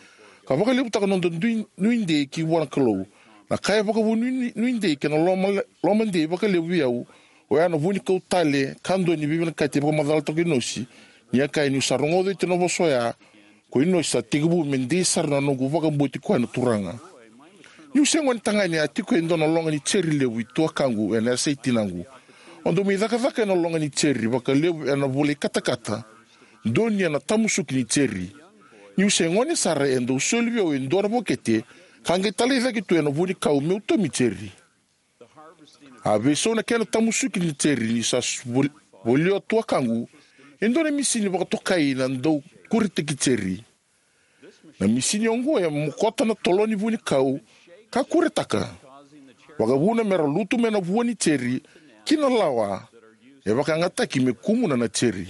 ka vakalevutaka na noda dui-, nuidei ki vua na Kalou. Na ka e vakavuna nui-, nuidei kei na loma, lomadei vakalevu vei au, oya na vunikau tale ka dua ni veivinakati e vakamacalataka o Inosi, ni a kaya: Niu sa rogoca oti na vosa oya ko Inosi, sa tekivu me dei sara na noqu vakabauti koya na Turaga. Niu se gone tagane, a tiko e dua na loga ni jeri levu i tuakaqu ena yasa i tinaqu. O dau mai cakacaka ena loga ni jeri vakalevu ena vula i katakata, donuya na tamusuki ni jeri. Niu se gone sara, e dau soli vei au e dua na vokete ka qai talai cake tu ena vunikau meu tomi jeri. A veisau na kena tamusuki ni jeri ni sa s-, vol-, volia o tuakaqu e dua na misini vakatokai na daukuretaki jeri. Na misini oqo e mokota na tolo ni vunikau ka kuretaka, vakavuna me ra lutu mai na vua ni jeri ki na lawa e vakayagataki me kumuna na jeri.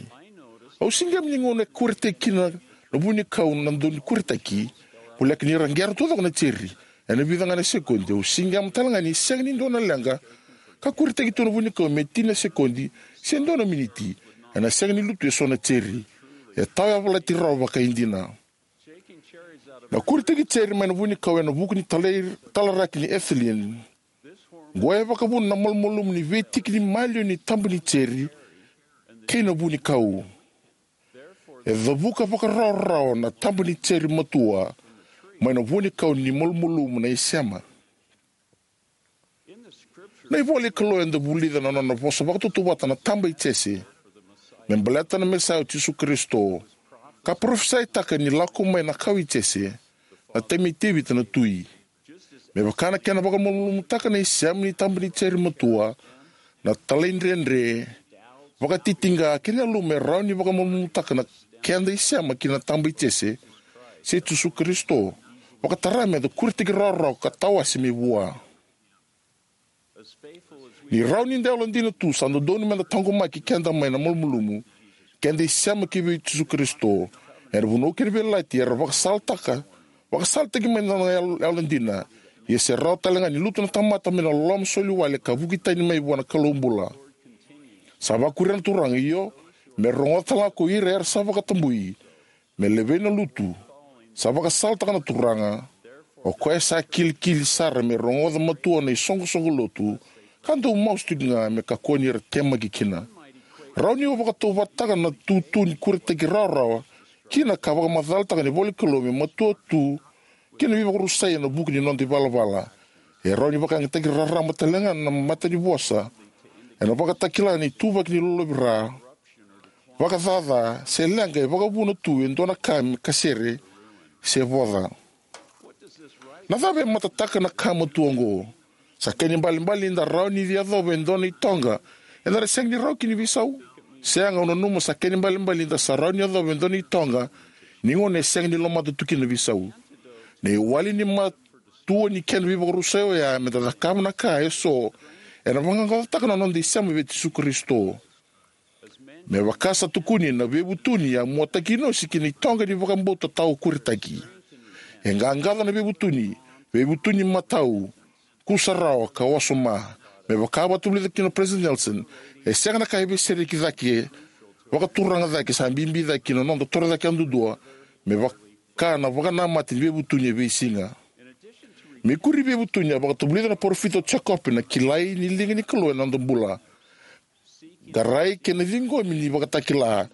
Au siqema ni gauna e kuretaki kina na vunikau na dau ni kuretaki, voleka ni ra qera taucoko na jeri ena vica ga na sekodi, au siqema tale ga ni sega ni dua na leqa ka kuretaki tu na vunikau me tini na sekodi se dua na miniti, ena sega ni lutu eso na jeri. E tawayavalati rawa vakaidina. Na kuretaki jeri mai na vunikau ena vuku ni talai, talaraki ni ethylene. Qo e vakavuna na malumalumu ni veitiki ni maliwa ni taba ni jeri kei na vunikau. E cavuka vakarawarawa na taba ni jeri matua mai na vunikau ni malumalumu na isema. Na ivola i Kalou eda vulica na nona vosa vakatautauvata na taba i Jese me baleta na Mesaia o Jisu Karisito, ka parofisaitaka ni lako mai na kawa i Jese, na tama i Tevita na tui. Me vaka na kena vakamalumalumutaka na isema ni taba ni jeri matua, na talaidredre, vakatitiqa kei na yaluma e rawa ni vakamalumalumutaka na keda isema ki na taba i Jese, se Jisu Karisito, vakatara meda kuretaki rawarawa ka tawase mai vua. Ni rawa ni da yalodina tu, sa dodonu meda taqomaki keda mai na malumalumu keda isema ki vei Jisu Karisito. Ena vanua kei na veiyalayalati era vakasalataka, vakasalataki mai na nona yalo, yalodina. Ia se rawa tale ga ni lutu na tamata mai na loloma soliwale ka vuki tani mai vua na Kalou bula. Sa vakuria na Turaga, io, me rogoca tale ga ko ira era sa vakatabui, me levei na lutu. Sa vakasalataka na Turaga, o koya sa kilikili sara me rogoca matua na isoqosoqo lotu, ka dau masu tiko ga me kakua ni ra temaki kina. Rawa ni o vakatauvataka na tutu ni kuretaki rawarawa kina ka vakamacalataka na ivola ni Kalou me matua tu ki na veivakarusai ena vuku ni noda ivalavala. E rawa ni vakayagataki raraba tale ga na mata ni vosa ena Vakatakila na ituvaki ni lolovira, vakacaca, se leqa e vakavuna tu e dua na ka me kasere se voca. Na cava e matataka na ka matua oqo? Sa kena ibalebale ni da rawa ni yacova e dua na itoqa eda na sega ni rawa kina ni veisau? Sega, au nanuma sa kena ibalebale ni da sa rawa ni yacova e dua na itoqa ni gauna e sega ni lomata tu kina na veisau. Na iwali ni matua ni kena veivakarusai oya meda cakava na ka eso ena vaqaqacotaka na noda isema vei Jisu Karisito. Me vaka sa tukuni, na veivutuni a muataki Inosi ki na itoqa ni vakabauta tawa kuretaki. E qaqaco na veivutuni, veivutuni matau, kusarawa ka wasoma. Me vaka a vakatavulica kina o Peresitedi Nelson, e sega na ka e veisereki cake vakaturaga cake, sa bibi cake ki na noda torocake yadudua, me vaka na vakanamata ni veivutuni e veisiga. Me kuri veivutuni, a vakatavulica na parofita o Jekope na kilai ni liga ni Kalou ena noda bula, qarai kei na ciqomi ni Vakatakila,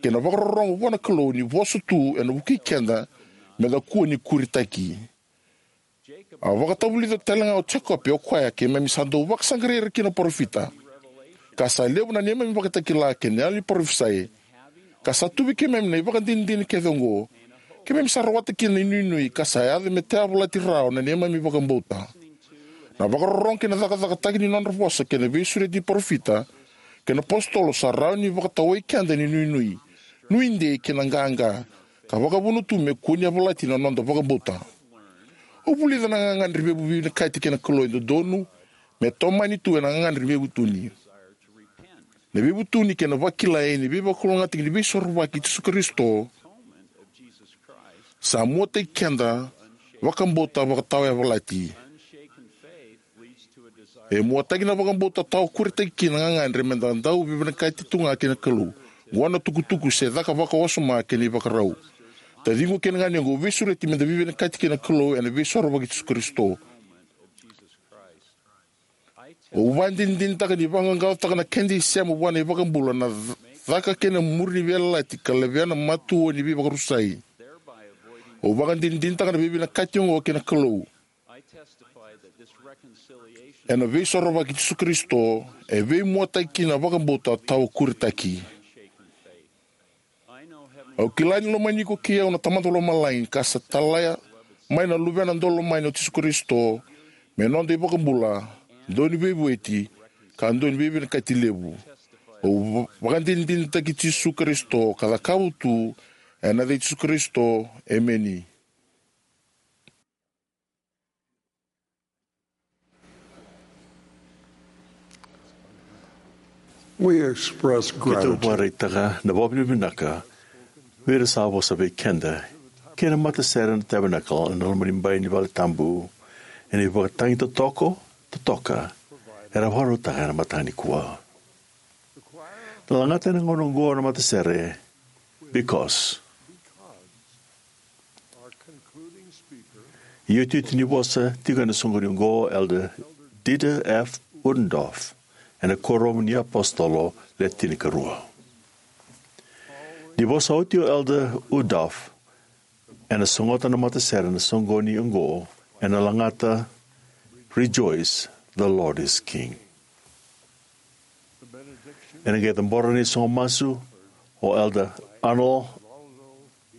kei na vakarorogo vua na Kalou ni vosa tu ena vukei keda meda kua ni kuretaki. A vakatavulica tale ga o Jekope o koya, keimami sa dau vakasaqarai ira kina na parofita, ka sa levu na neimami vakatakila kei na yalo ni parofisai, ka sa tu vei keimami na ivakadinadina kece oqo, keimami sa rawata kina na inuinui ka sa yaco me tayavalati rawa na neimami vakabauta. Na vakarorogo kei na cakacakataki ni nodra vosa kei na veisureti ni parofita kei na apositolo sa rawa ni vakatawai keda ena inuinui, nuidei kei na qaqa, ka vakavuna tu me kua ni yavalati na noda vakabauta. Au vulica na gagadre ni veivinakati kei na Kalou e dodonu me tomani tu ena gagadre ni veivutuni. Na veivutuni kei na vakilai ni veivakalougatataki ni Veisorovaki i Jisu Karisito sa muataki keda vakabauta vakatawayavalati. E muataki na vakabauta tawa kuretaki kina na gagadre meda dau veivinakati tu ga kei na Kalou. Oqo na itukutuku se caka vakawasoma kei na ivakarau. Taciqu kei na ganequ, au veisureti meda veivinakati kei na Kalou ena Veisorovaki i Jisu Karisito. Au vakadinadinataka ni vaqaqacotaka na keda isema vua na iVakabula na caka kei na muri ni veiyalayalati ka levea na matua ni veivakarusai. Au vakadinadinataka na veivinakati oqo kei na Kalou ena Veisorovaki i Jisu Karisito, e veimuataki kina na vakabauta tawa kuretaki. Au kila ni lomani iko kei au na Tamada Lomalagi, ka sa tala mai na Luvena daulomani o Jisu Karisito me noda iVakabula, Dauniveivueti, ka Dauniveivinakati Levu. Au va-, vakadinadinataki Jisu Karisito ka cakava tu ena yaca i Jisu Karisito, emeni. We express gratitude. Keitou vakaraitaka na vakavinavinaka vei ira sa vosa vei keda kei na matasere na Tabernacle ena loma ni bai ni vale tabu, ena ivakatagi totoka, totoka era vakarautaka ena mataka nikua. Na lagata ena gauna oqo na matasere, Because. Iotioti ni vosa tiko ena soqoni oqo o Elder Dieter F. Uchtdorf ena Kuoramu ni iApositolo Le Tinikarua. Ni vosa oti o Elder Uchtdorf, ena sogota na matasere ena soqoni oqo ena lagata, Rejoice, the Lord is King. Ena qai cabora na isogo masu o Elder Arnold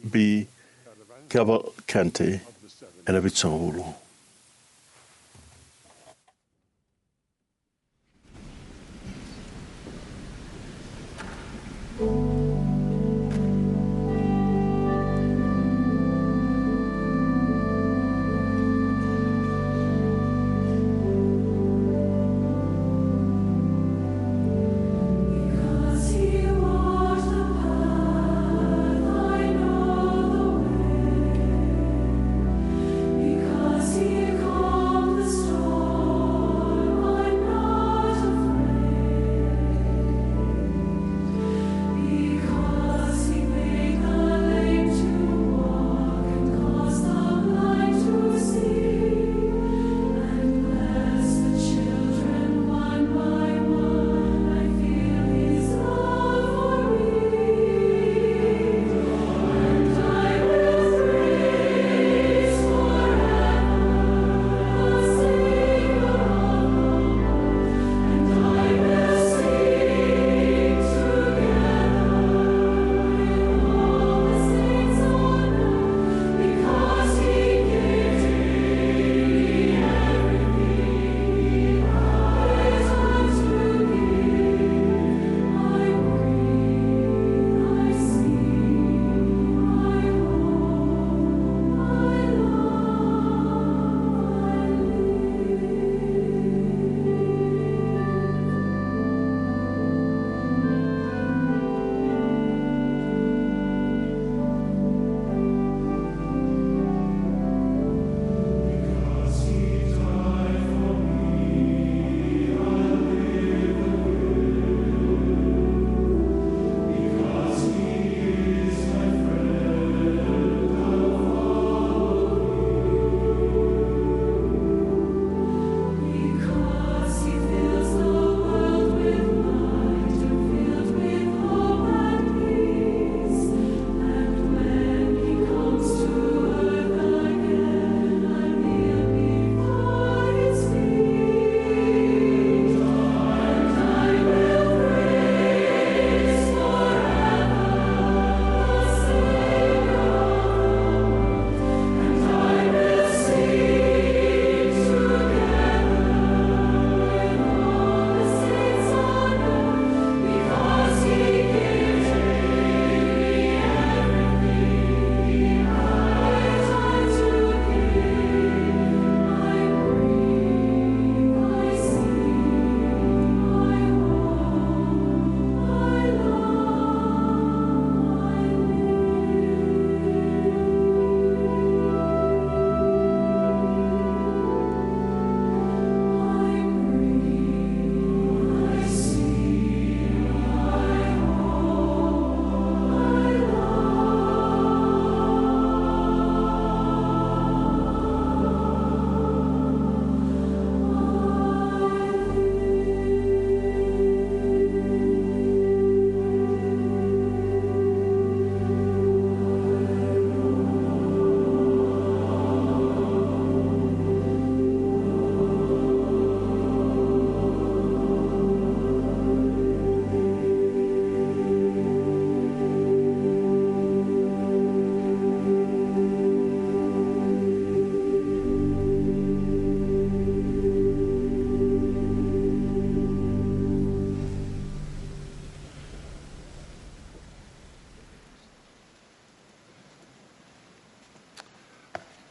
B. Cavalcante ena Vitusagavulu.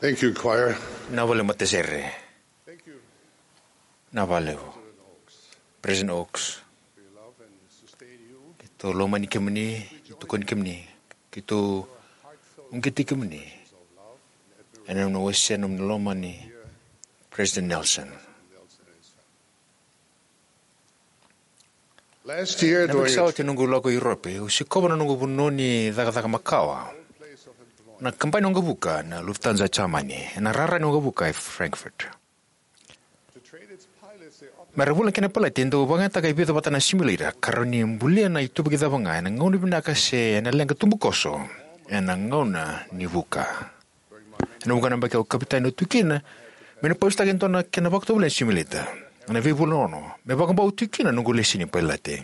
Thank you, choir. Na vale matasere. Na vale. President Oaks. Keitou lomani kemuni, keitou tokoni kemuni, keitou uqeti kemuni ena nomuni wasea na nomuni lomani, President Nelson. Last year, Na during veisawa oti noqu lako i Europe, au sikova na noqu vanua ni cakacaka makawa, na kabani waqavuka na Lufthansa Jamani, ena rara ni waqavuka e Frankfurt. Me ra vula kina na pailate, e dau vakayagataka e vica vata na simulator ka rawa ni bulia na ituvaki cava ga ena gauna vinaka se ena leqa tubukoso ena gauna ni vuka. Ena vuqa na yabaki au kapitani, au tu kina me na pausitaka e dua na kena vakatovolei na simulator ena veivula ono me vakabau tiko kina na noqu lesi ni pailate.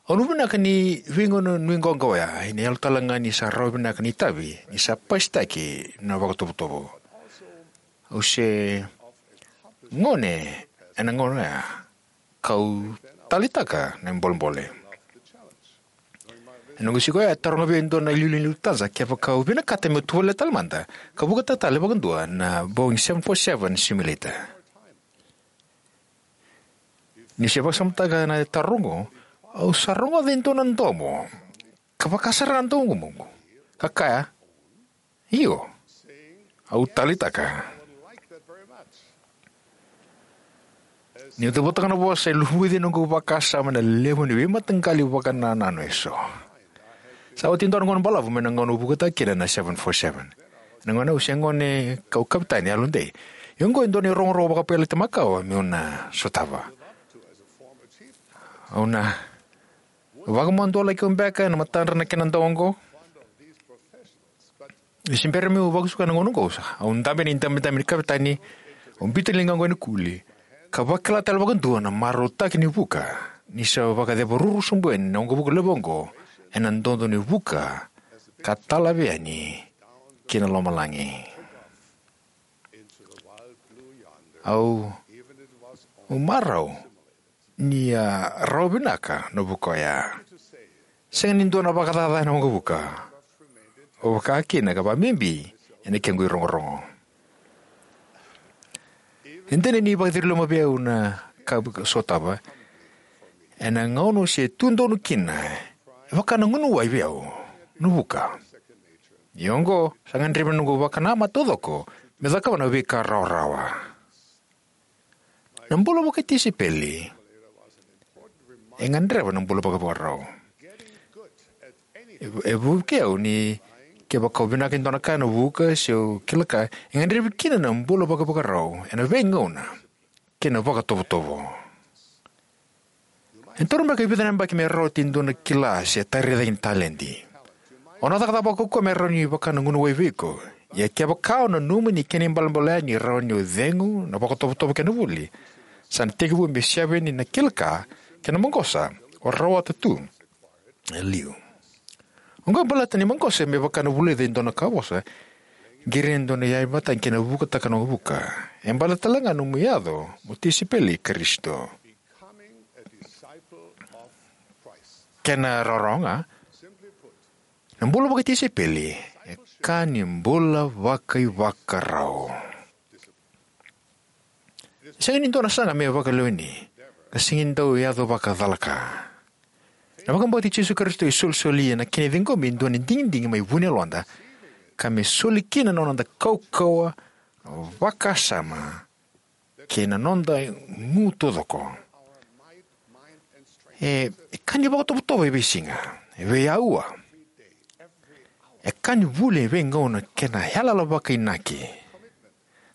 Au nuinui vinaka ni veigauna nuiqawaqawa oya, ena yalo tale ga ni sa rawa vinaka na itavi ni sa pasitaki na vakatovotovo. Au se gone ena gauna oya, kau taleitaka na bolebole. Ena noqu siga oya, a taroga vei au e dua na iliuliu ni Lufthansa kevaka au vinakata meu tovolea tale mada ka vukataka tale vakadua na Boeing seven four seven simulator. Niu se vakasamataka na taro oqo, au sa rogoca e dua na domo ka vaka sara na domoqu ka kaya, "Io, au taleitaka." Niu cavuta na vosa, e luvuci noqu vakasama na levu ni veimataqali vakanananu eso. Sa oti e dua na gauna balavu mai na gauna au vukataka kina na seven four seven. Ena gauna au se gone kau kapitani yalodei. Ia oqo e dua na irogorogo vakapailate makawa meu na sotava. Au na vakamadua laki au beka ena matadra na kena dau oqo? Ni se bera meu vakasuka ena gauna oqo, au dabe ena idabedabe ni kapitani, au biuta na ligaqu ena kuli, ka vakila tale vakadua na marautaki ni vuka ni sa vakacevaruru sobu yani na waqavuka levu oqo ena dodo ni vuka ka talavi yani ki na lomalagi. Au, au marau ni a rawa vinaka na vuka oya. Sega ni dua na vakacaca ena waqavuka, au vaka kina ka vakabibi ena kequ irogorogo. E dina ni vakaciri loma vei au na ka au sotava, ena gauna au se tu donu kina, e vaka na gunu wai vei au na vuka. Ia oqo sa gadrevi na noqu vakanamata taucoko me cakava na veika rawarawa. Na bula vakatisaipeli e gadreva na bula vakaivakarau. E, e vukei au ni kevaka au vinaka e dua na ka ena vuka se au kila ka, e gadrevi kina na bula vakaivakarau ena veigauna kei na vakatovotovo. E toro beka e vica na yabaki me rawati e dua na kila se tara cake ni taledi. O na cakacaka vakaukauwa me rawa ni vaka na gunu wai vei iko. Ia kevaka o nanuma ni kena ibalebale ni rawa ni o cegu na vakatovotovo kei na vuli, sa na tekivu me seveni na kila ka kei na maqosa o rawata tu e liu. Oqo e baleta ni maqosa me vaka na vulica e dua na ka vosa, qiri e dua na iyaya vata kei na vukataka na waqavuka. E baleta tale ga nomu yaco mo tisaipeli i Karisito. Kena rawarawa ga, na bula vakatisaipeli e ka ni bula vakaivakarau. Sega ni dua na saga me vakaleweni, ka sega ni dau yaco vakacalaka. Na vakabauti Jisu Karisito e solisoli ena kena ciqomi e dua na digidigi mai vu ni yaloda, ka me soli kina na noda kaukauwa, vakasama, kei na noda gu taucoko. E, e ka ni vakatovotovo e veisiga, e veiaua. E ka ni vuli e veigauna kei na yalayala vakainaki.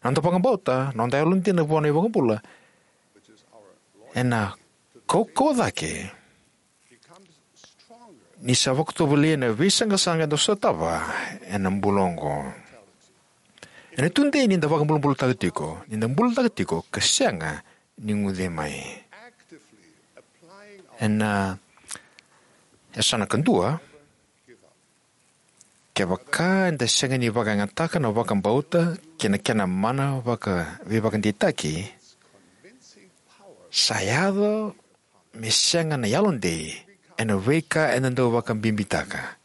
Na noda vakabauta, na noda yalodina vua na iVakabula, ena kaukauwa cake ni sa vakatovolei ena veisaqasaqa eda sotava ena bula oqo. Ena tudei ni da vakabulabulataka tiko, ni da bulataka tiko ka sega ni guce mai. Ena yasana kadua, kevaka eda sega ni vakayagataka na vakabauta kei na kena mana vaka, veivakadeitaki, sa yaco me sega na yalodei ena veika eda dau vakabibitaka,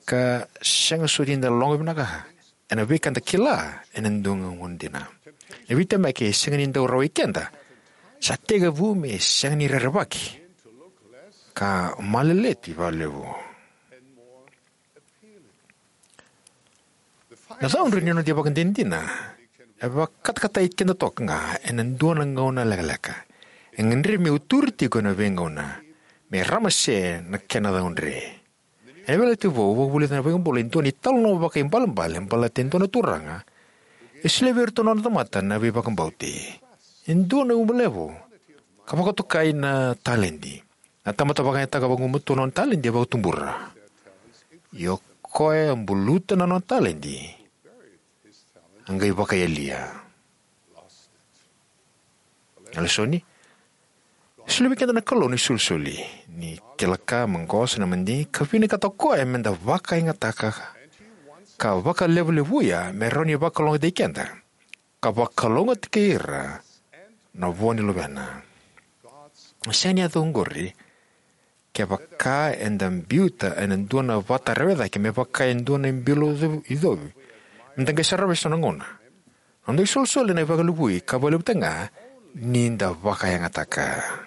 ka sega soti ni da loga vinaka ena veika eda kila ena dua ga gauna dina. Na veitemaki e sega ni dau rawai keda, sa tekivu me sega ni rerevaki, ka maleleti vakalevu. Na caudre ni noda ivakadinadina e vakatakatai keda toka ga ena dua na gauna lekaleka. E gadrevi me uturi tiko ena veigauna me ramase na kena caudre. Ena Veiyalayalati Vou, au vakavulica na iVakabula e dua na italanoa vakaibalebale baleta e dua na turaga e solia vei iratou na nona tamata na veivakabauti e dua na uba levu ka vakatokai na taledi. Na tamata vakayagataka vagumatua na nona taledi e vakatubura. Ia o koya a buluta na nona taledi a qai vakaiyalia. Na lesoni: solia vei keda na Kalou na isolisoli. Ni kila ka, maqosa, na madigi, ka vinakata o koya meda vakayagataka ka vakalevulevuya me rawa ni vakalougatataki keda ka vakalougatataki ira na vo ni luvena. Sega ni yaco oqori kevaka eda biuta ena dua na vata rewe cake me vaka e dua na bilo icovi, icovi meda qai sarava eso na gauna. Na noda isolisoli ena vakalevui ka vakalevutaka ga ni da vakayagataka.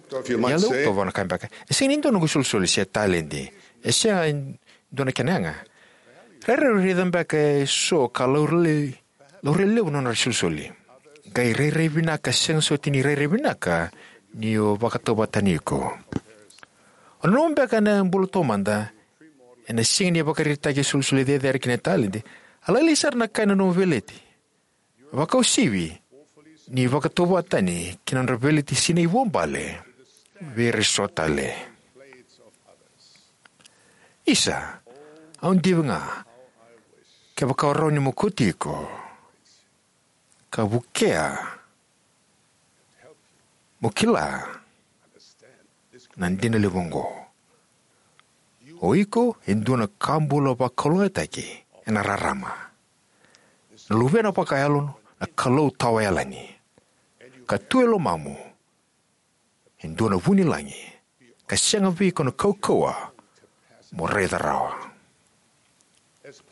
Ia, levu tovana ka beka, e sega ni dua noqu isolisoli se taledi. E sega e dua na kena yaga. Rairai raica beka eso ka laurai, laurai levu na nodra isolisoli. Qai rairai vinaka, sega soti ni rairai vinaka ni o vakatauvatani iko. O nanuma beka na bula taumada ena siga ni vakaraitaki isolisoli cecere kei na taledi, a lailai sara na ka e nanuma o Veleti. Vakauasivi ni vakatauvatani kei na nodra veleti sinai vuabale vei ira eso tale. Isa, au divi ga kevaka o rawa ni mokoti iko ka vukea mo kila na dina levu oqo. O iko e dua na ka bula vakalougatataki ena rarama. Na Luvena vakayalo na Kalou Tawayalani, ka tu e lomamu e dua na vunilagi, ka sega vei iko na kaukauwa mo raica rawa.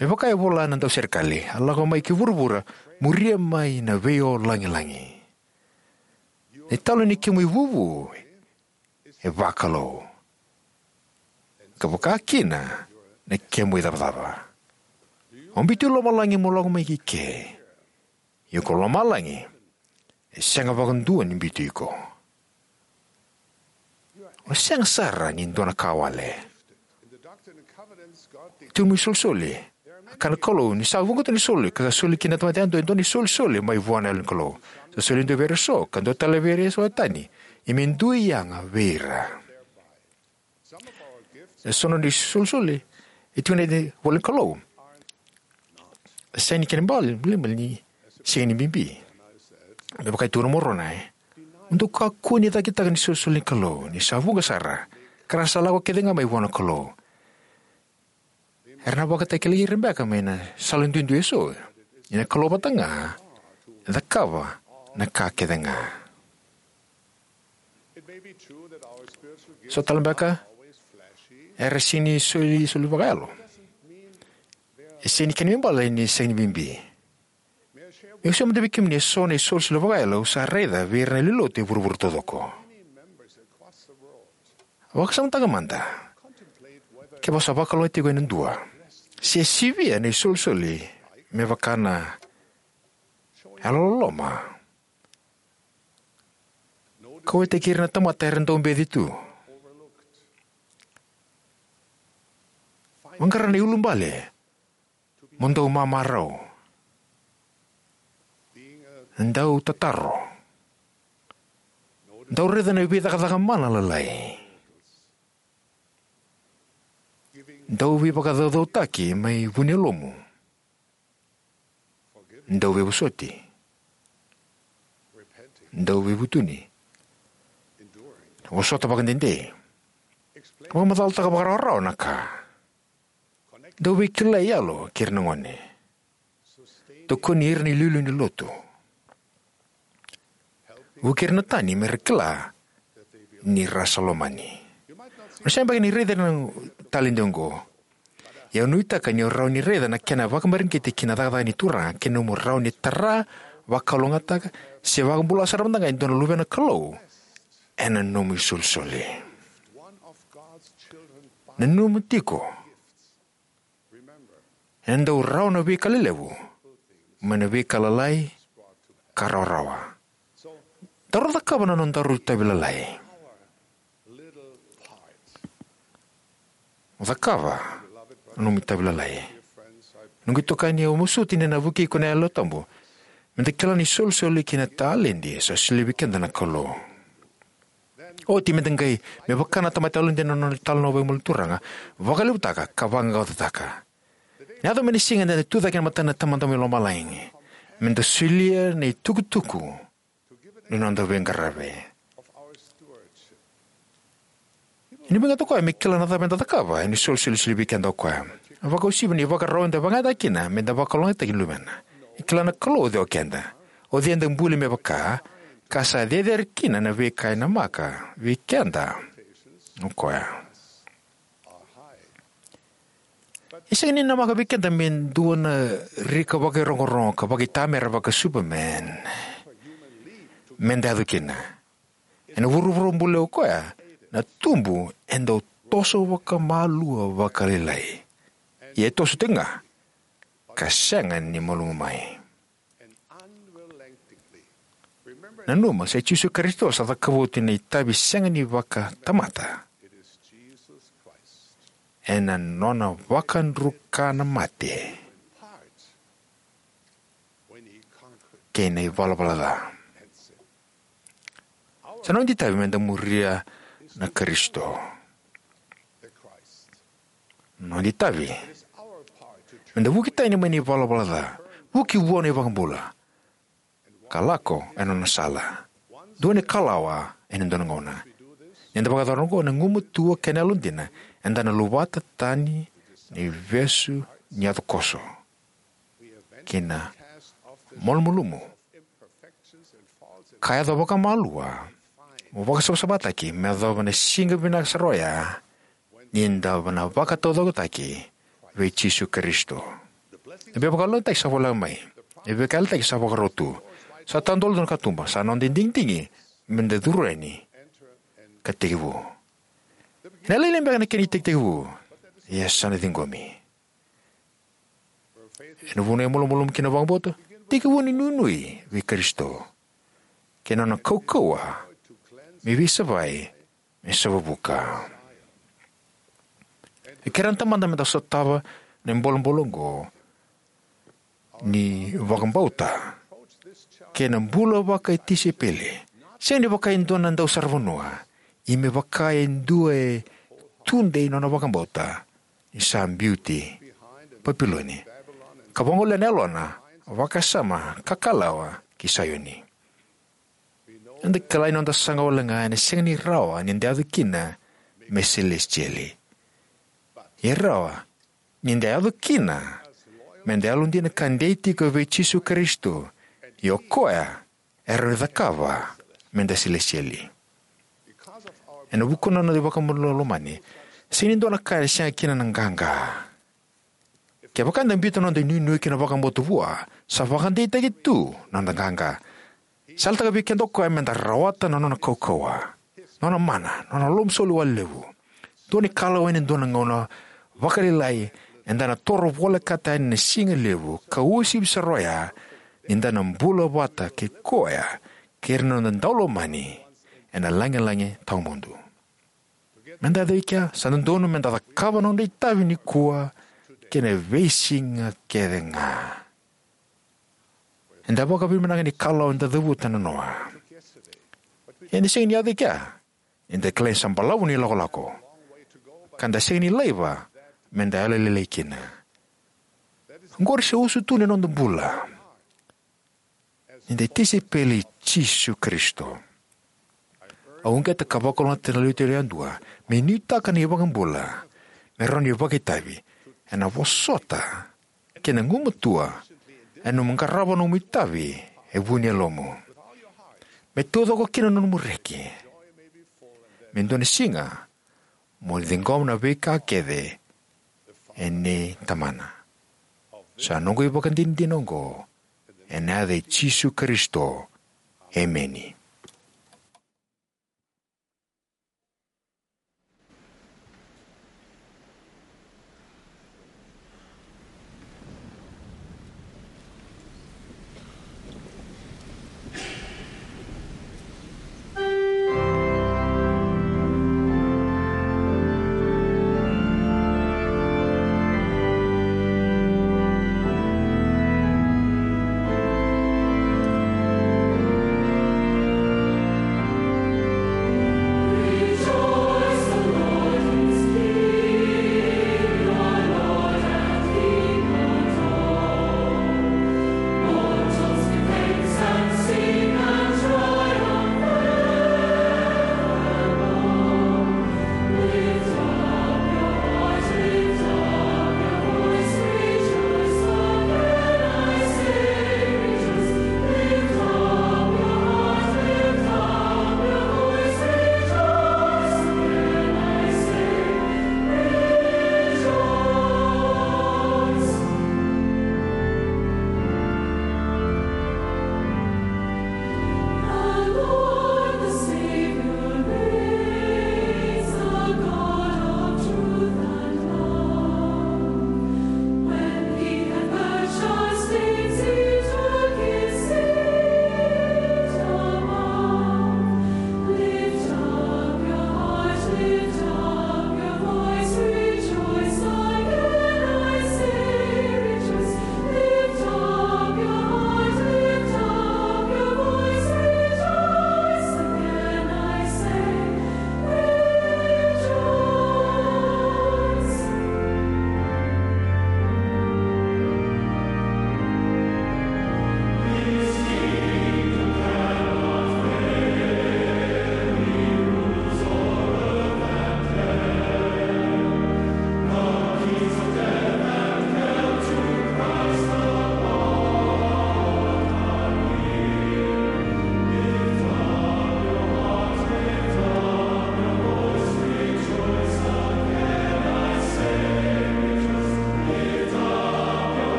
Me vaka e vola na dauserekali, a lako mai ki vuravura, muria mai na veiolagilagi. Na italanoa ni kemu ivuvu e vakalou, ka vaka kina na kemu icavacava. O biuti lomalagi mo lako mai ki ke. Ia ko lomalagi e sega vakadua ni biuti iko. O sega sara ni dua na ka wale. Tiko mai isolisoli. A kaya na Kalou ni sa vuqa tu na isolisoli ka soli kina na tamata yadua e dua na isolisoli mai vua na Yalo ni Kalou. Sa soli e dua vei ira eso ka dua tale vei ira eso e tani. Ia me dui yaga vei ira. Eso na nodra isolisoli e tiko ena ivola ni Kalou. Sega ni kena ibalebale ni sega ni bibi. Me vaka e tukuna o Moronai, mo dou kakua ni cakitaka na isolisoli ni Kalou, ni sa vuqa sara, ka ra sa lako kece ga mai vua na Kalou. Era na vakatakilai ira beka mai na sala duidui eso, ia na Kalou vata ga e cakava na ka kece ga. So tale beka era sega ni soli, soli vakayalo. E sega ni kena ibalebale ni sega ni bibi. Meu sauma mada vei kemuni eso na isolisoli vakayalo au sa raica vei ira na lewe ni lotu e vuravura taucoko. Vakasamataka mada. Kevaka o sa vakalougatataki ena dua, se sivia na isolisoli me vaka na yalololoma, kauwaitaki ira na tamata era dau beci tu. Vaqara na iulubale mo dau mamarau, dau tataro, dau raica na veicakacaka mana lalai, dau veivakacaucautaki mai vu ni yalomu, dau veivosoti, dau veivutuni, vosota vakadede, vakamacalataka vakarawarawa na ka, dau veikilai yalo kei ira na gone, tokoni ira na iliuliu ni lotu, vuki ira na tani me ra kila ni ra sa lomani. O na sega beka ni raica na taledi oqo, ia au nuitaka ni o rawa ni raica na kena vakamareqeti ki na cakacaka ni Turaga kei na nomu rawa ni tara, vakalougatataka, Se vakabula sara mada ga e dua na luvena Kalou ena nomu isolisoli. Nanuma tiko, ena dau rawa na veika lelevu mai na veika lalai ka rawarawa. Daru cakava na nodaru itavi lalai. Cakava na nomu itavi lalai. Noqu itokani, au masuti ni na vukei iko na Yalo Tabu meda kila na isolisoli kei na taledi sa solia vei keda na Kalou. Oti meda qai, me vaka na tamata yalodina na nona italanoa vakamalua ni Turaga, vakalevutaka ka vaqaqacotaka. Na yaco mai na siga eda na tucake ena mata ni Tamada mai Lomalagi meda solia na itukutuku ni noda veiqaravi. Ena veiqaravi o koya me kila na cava eda cakava ena isolisoli e solia vei keda o koya. Vakauasivi na ivakarau eda vakayagataka kina meda vakalougatataki na Luvena. E kila na Kalou o cei o keda, o cei eda buli me vaka, ka sa cecere kina na veika e namaka vei keda o koya. E sega ni namaka vei keda me dua na rika vakairogorogo ka vakaitamera vaka Superman meda yaco kina. Ena vuravura buli o koya, na tubu e dau toso vakamalua vakalailai. Ia e toso tiko ga ka sega ni malumu mai. Nanuma, sa i Jisu Karisito sa cakava oti na itavi sega ni vakatamata ena nona vakadruka na mate kei na ivalavala ca. Sa noda itavi meda muria na Karisito. Noda itavi meda vuki tani mai na ivalavala ca, vuki vua na iVakabula, ka lako ena nona sala. Dua na ikalawa ena dua na gauna. Ni da vakayacora oqo, na gumatua kei na yalodina eda na luvata tani na ivesu ni yaco koso kei na malumalumu ka yaco vakamalua, mo vakasavasavataki me yacova na siga vinaka sara oya ni da na vakataucokotaki vei Jisu Karisito. Na veivakalougatataki sa voleka mai. Na veivakalougatataki sa vakarau tu. Sa tadolu na katuba, sa noda digidigi meda curu yani ka tekivu. Ena lailai beka na kena itekitekivu, ia sa na ciqomi. Ena vuna e malumalumu kina na vakabauta, tekivu na inuinui vei Karisito kei na nona kaukauwa me veisavai, me savavuka. E kerea na Tamada meda sotava na bolebole oqo ni vakabauta kei na bula vakatisaipeli, sega ni vaka e dua na dausaravanua, ia me vaka e dua e tudei nona vakabauta ni sa biuti Papiloni, ka vagolea na yalona vakasama ka kalawa ki Saioni. Eda kila ni noda saga wale ga ena sega ni rawa ni da yaco kina me selesitieli. E rawa ni da yaco kina meda yalodina ka dei tiko vei Jisu Karisito, ia o koya e rawa ni cakava meda selesitieli. Ena vuku ni noda iVakabula lomani, sega ni dua na ka e sega kina na qaqa. Kevaka eda biuta na noda inuinui kei na vakabauta vua, sa vakadeitaki tu na noda qaqa. Sa yalataka vei keda o koya meda rawata na nona kaukauwa, nona mana, nona lomasoli wale levu. Dua na ikalawa ena dua na gauna vakalailai eda na toro volekata yani na siga levu ka uasivi sara oya ni da na bula vata kei koya kei ira na noda daulomani ena lagilagi tawamudu. Meda yaco i kea, sa dodonu meda cakava na noda itavi nikua kei na veisiga kece ga. Eda vakavinavinaka ni kalawa eda cavuta na noa. Eda sega ni yaco i kea, eda kilai sa balavu na ilakolako, ka da sega ni laiva meda yalolailai kina. Oqori sa usutu ni noda bula ni da tisaipeli i Jisu Karisito. Au uqeta ka vakalougatataka na lewe tolu yadua me nuitaka na iVakabula me rawa ni vakaitavi, ena vosota kei na gumatua ena nomu qarava nomu itavi e vu ni yalomu, me taucoko kina na nomu reki, me dua na siga mo ciqoma na veika kece e nei Tamana. Sa noqu ivakadinadina oqo ena yaca i Jisu Karisito. Emeni.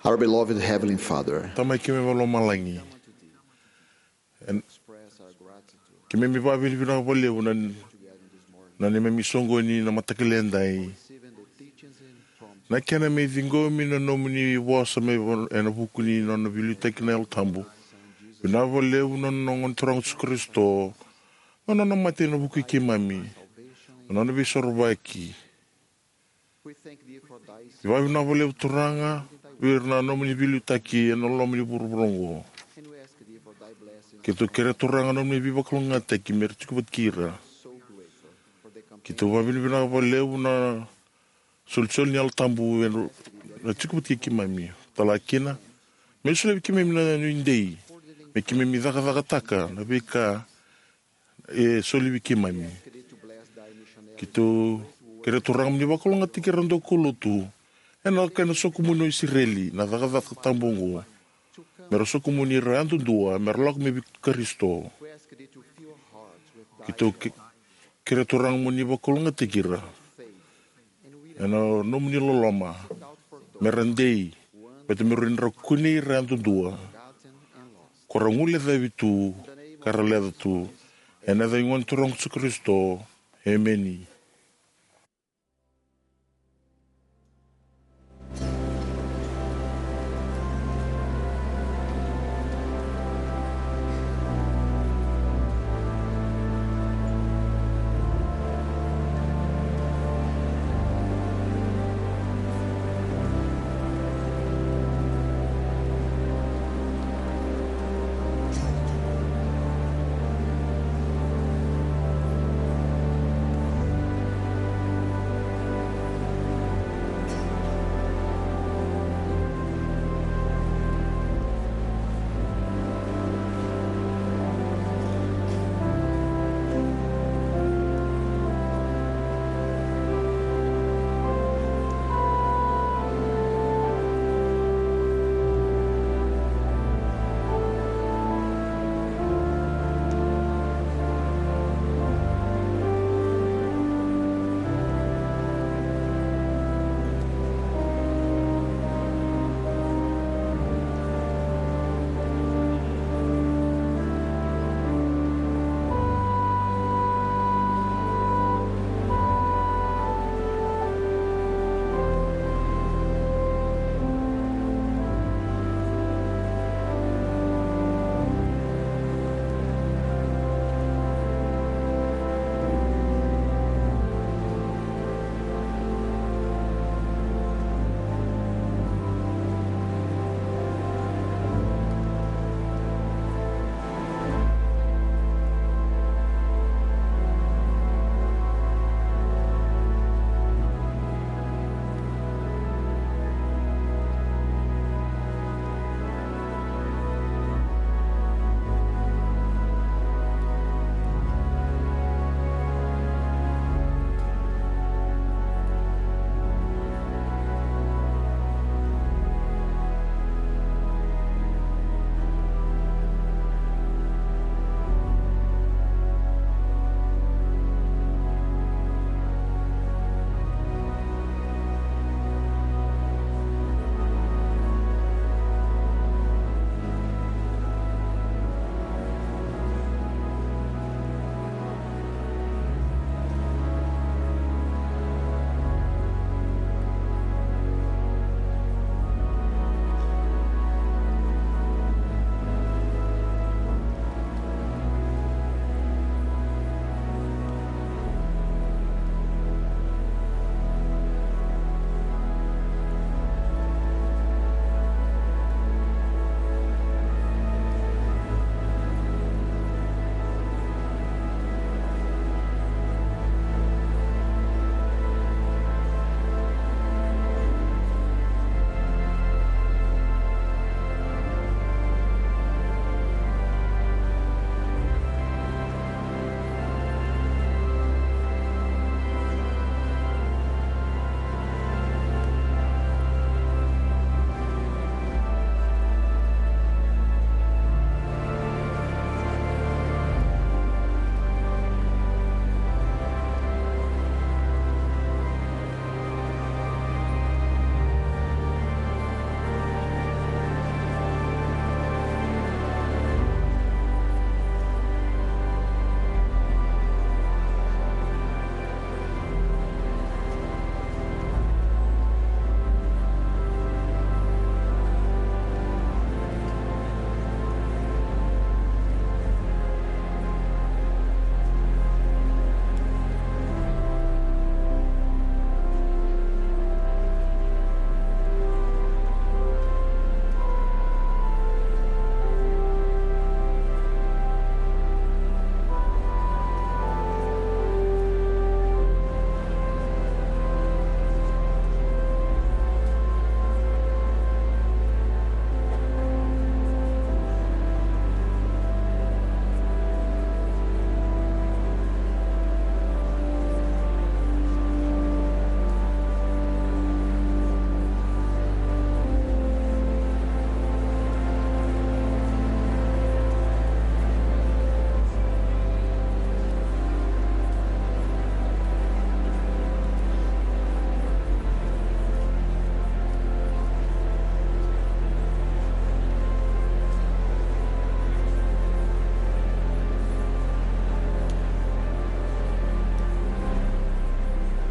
Our beloved Heavenly Father, Tamai keimami vakalomalagi, en, keimami vakavinavinaka vakalevu na, na neimami soqoni na mataka lailai edai. Na kena me ciqomi na nomuni vosa mai va-, ena vuku ni nona veiliutaki na Yalo Tabu. Vinaka vakalevu na nona Gone Turaga o Jisu Karisito, na nona mate ena vuku i keimami, na nona veisorovaki. Vakavinavinaka vakalevu Turaga vei ira na nomuni veiliutaki ena loma ni vuravura oqo. Keitou kerea Turaga na nomuni veivakalougatataki me ra tiko vata kei ira. Keitou vakavinavinaka vakalevu na Solisoli ni Yalo Tabu ena tiko vata kei keimami. Tala kina, me solia vei keimami na nuidei me keimami cakacakataka na veika e soli vei keimami. Keitou kerea, Turaga, mo ni vakalougatataki ira na daukaulotu ena lako ena sokumuni o Isireli na cakacaka tabu oqo, me ra sokumuni ira yadudua me ra lako mai vei Karisito. Keitou ke- kerea, Turaga, mo ni vakalougatataki ira ena nomuni loloma, me ra dei, baleta me rawa ni ra kunei ira yadudua ko ra guilecavi tu ka ra leca tu. Ena yaca ni Gone Turaga o Jisu Karisito. Emeni.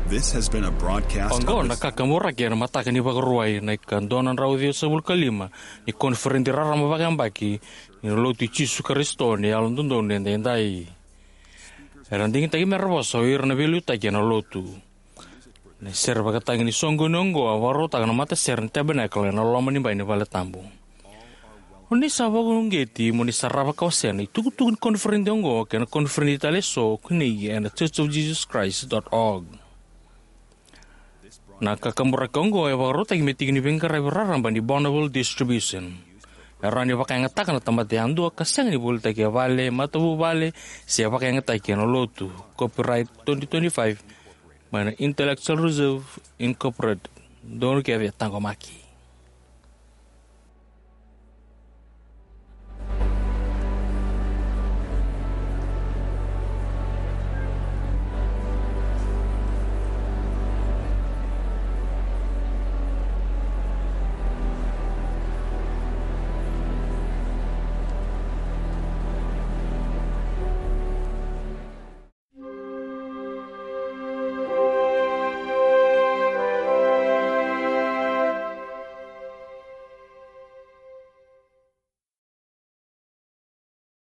This has been a broadcast Oqo of na the kakaburaki ena mataka ni Vakarauwai na ika dua na drau ciwasagavulu ka lima ni koniferedi raraba vakayabaki ni Lotu i Jisu Karisito ni Yalododonu Edaidai. Era digitaki me ra vosa o ira na veiliutaki ena Lotu. Na sere vakatagi ni soqoni oqo a vakarautaka na matasere ni Tabernacle ena loma ni bai ni vale tabu. O ni sa vakauqeti mo ni sarava ka wasea na itukutuku ni koniferedi oqo kei na koniferedi tale eso ko ni ena church of jesus christ dot org. Na kakaburaki oqo e vakarautaki me tiki ni veiqaravi raraba ni Bonneville Distribution. E rawa ni vakayagataka na tamata yadua ka sega ni volitaki e vale, matavuvale, se vakayagataki ena Lotu. Copyright twenty twenty-five mai na Intellectual Reserve Incorporated. Donu kece e taqomaki.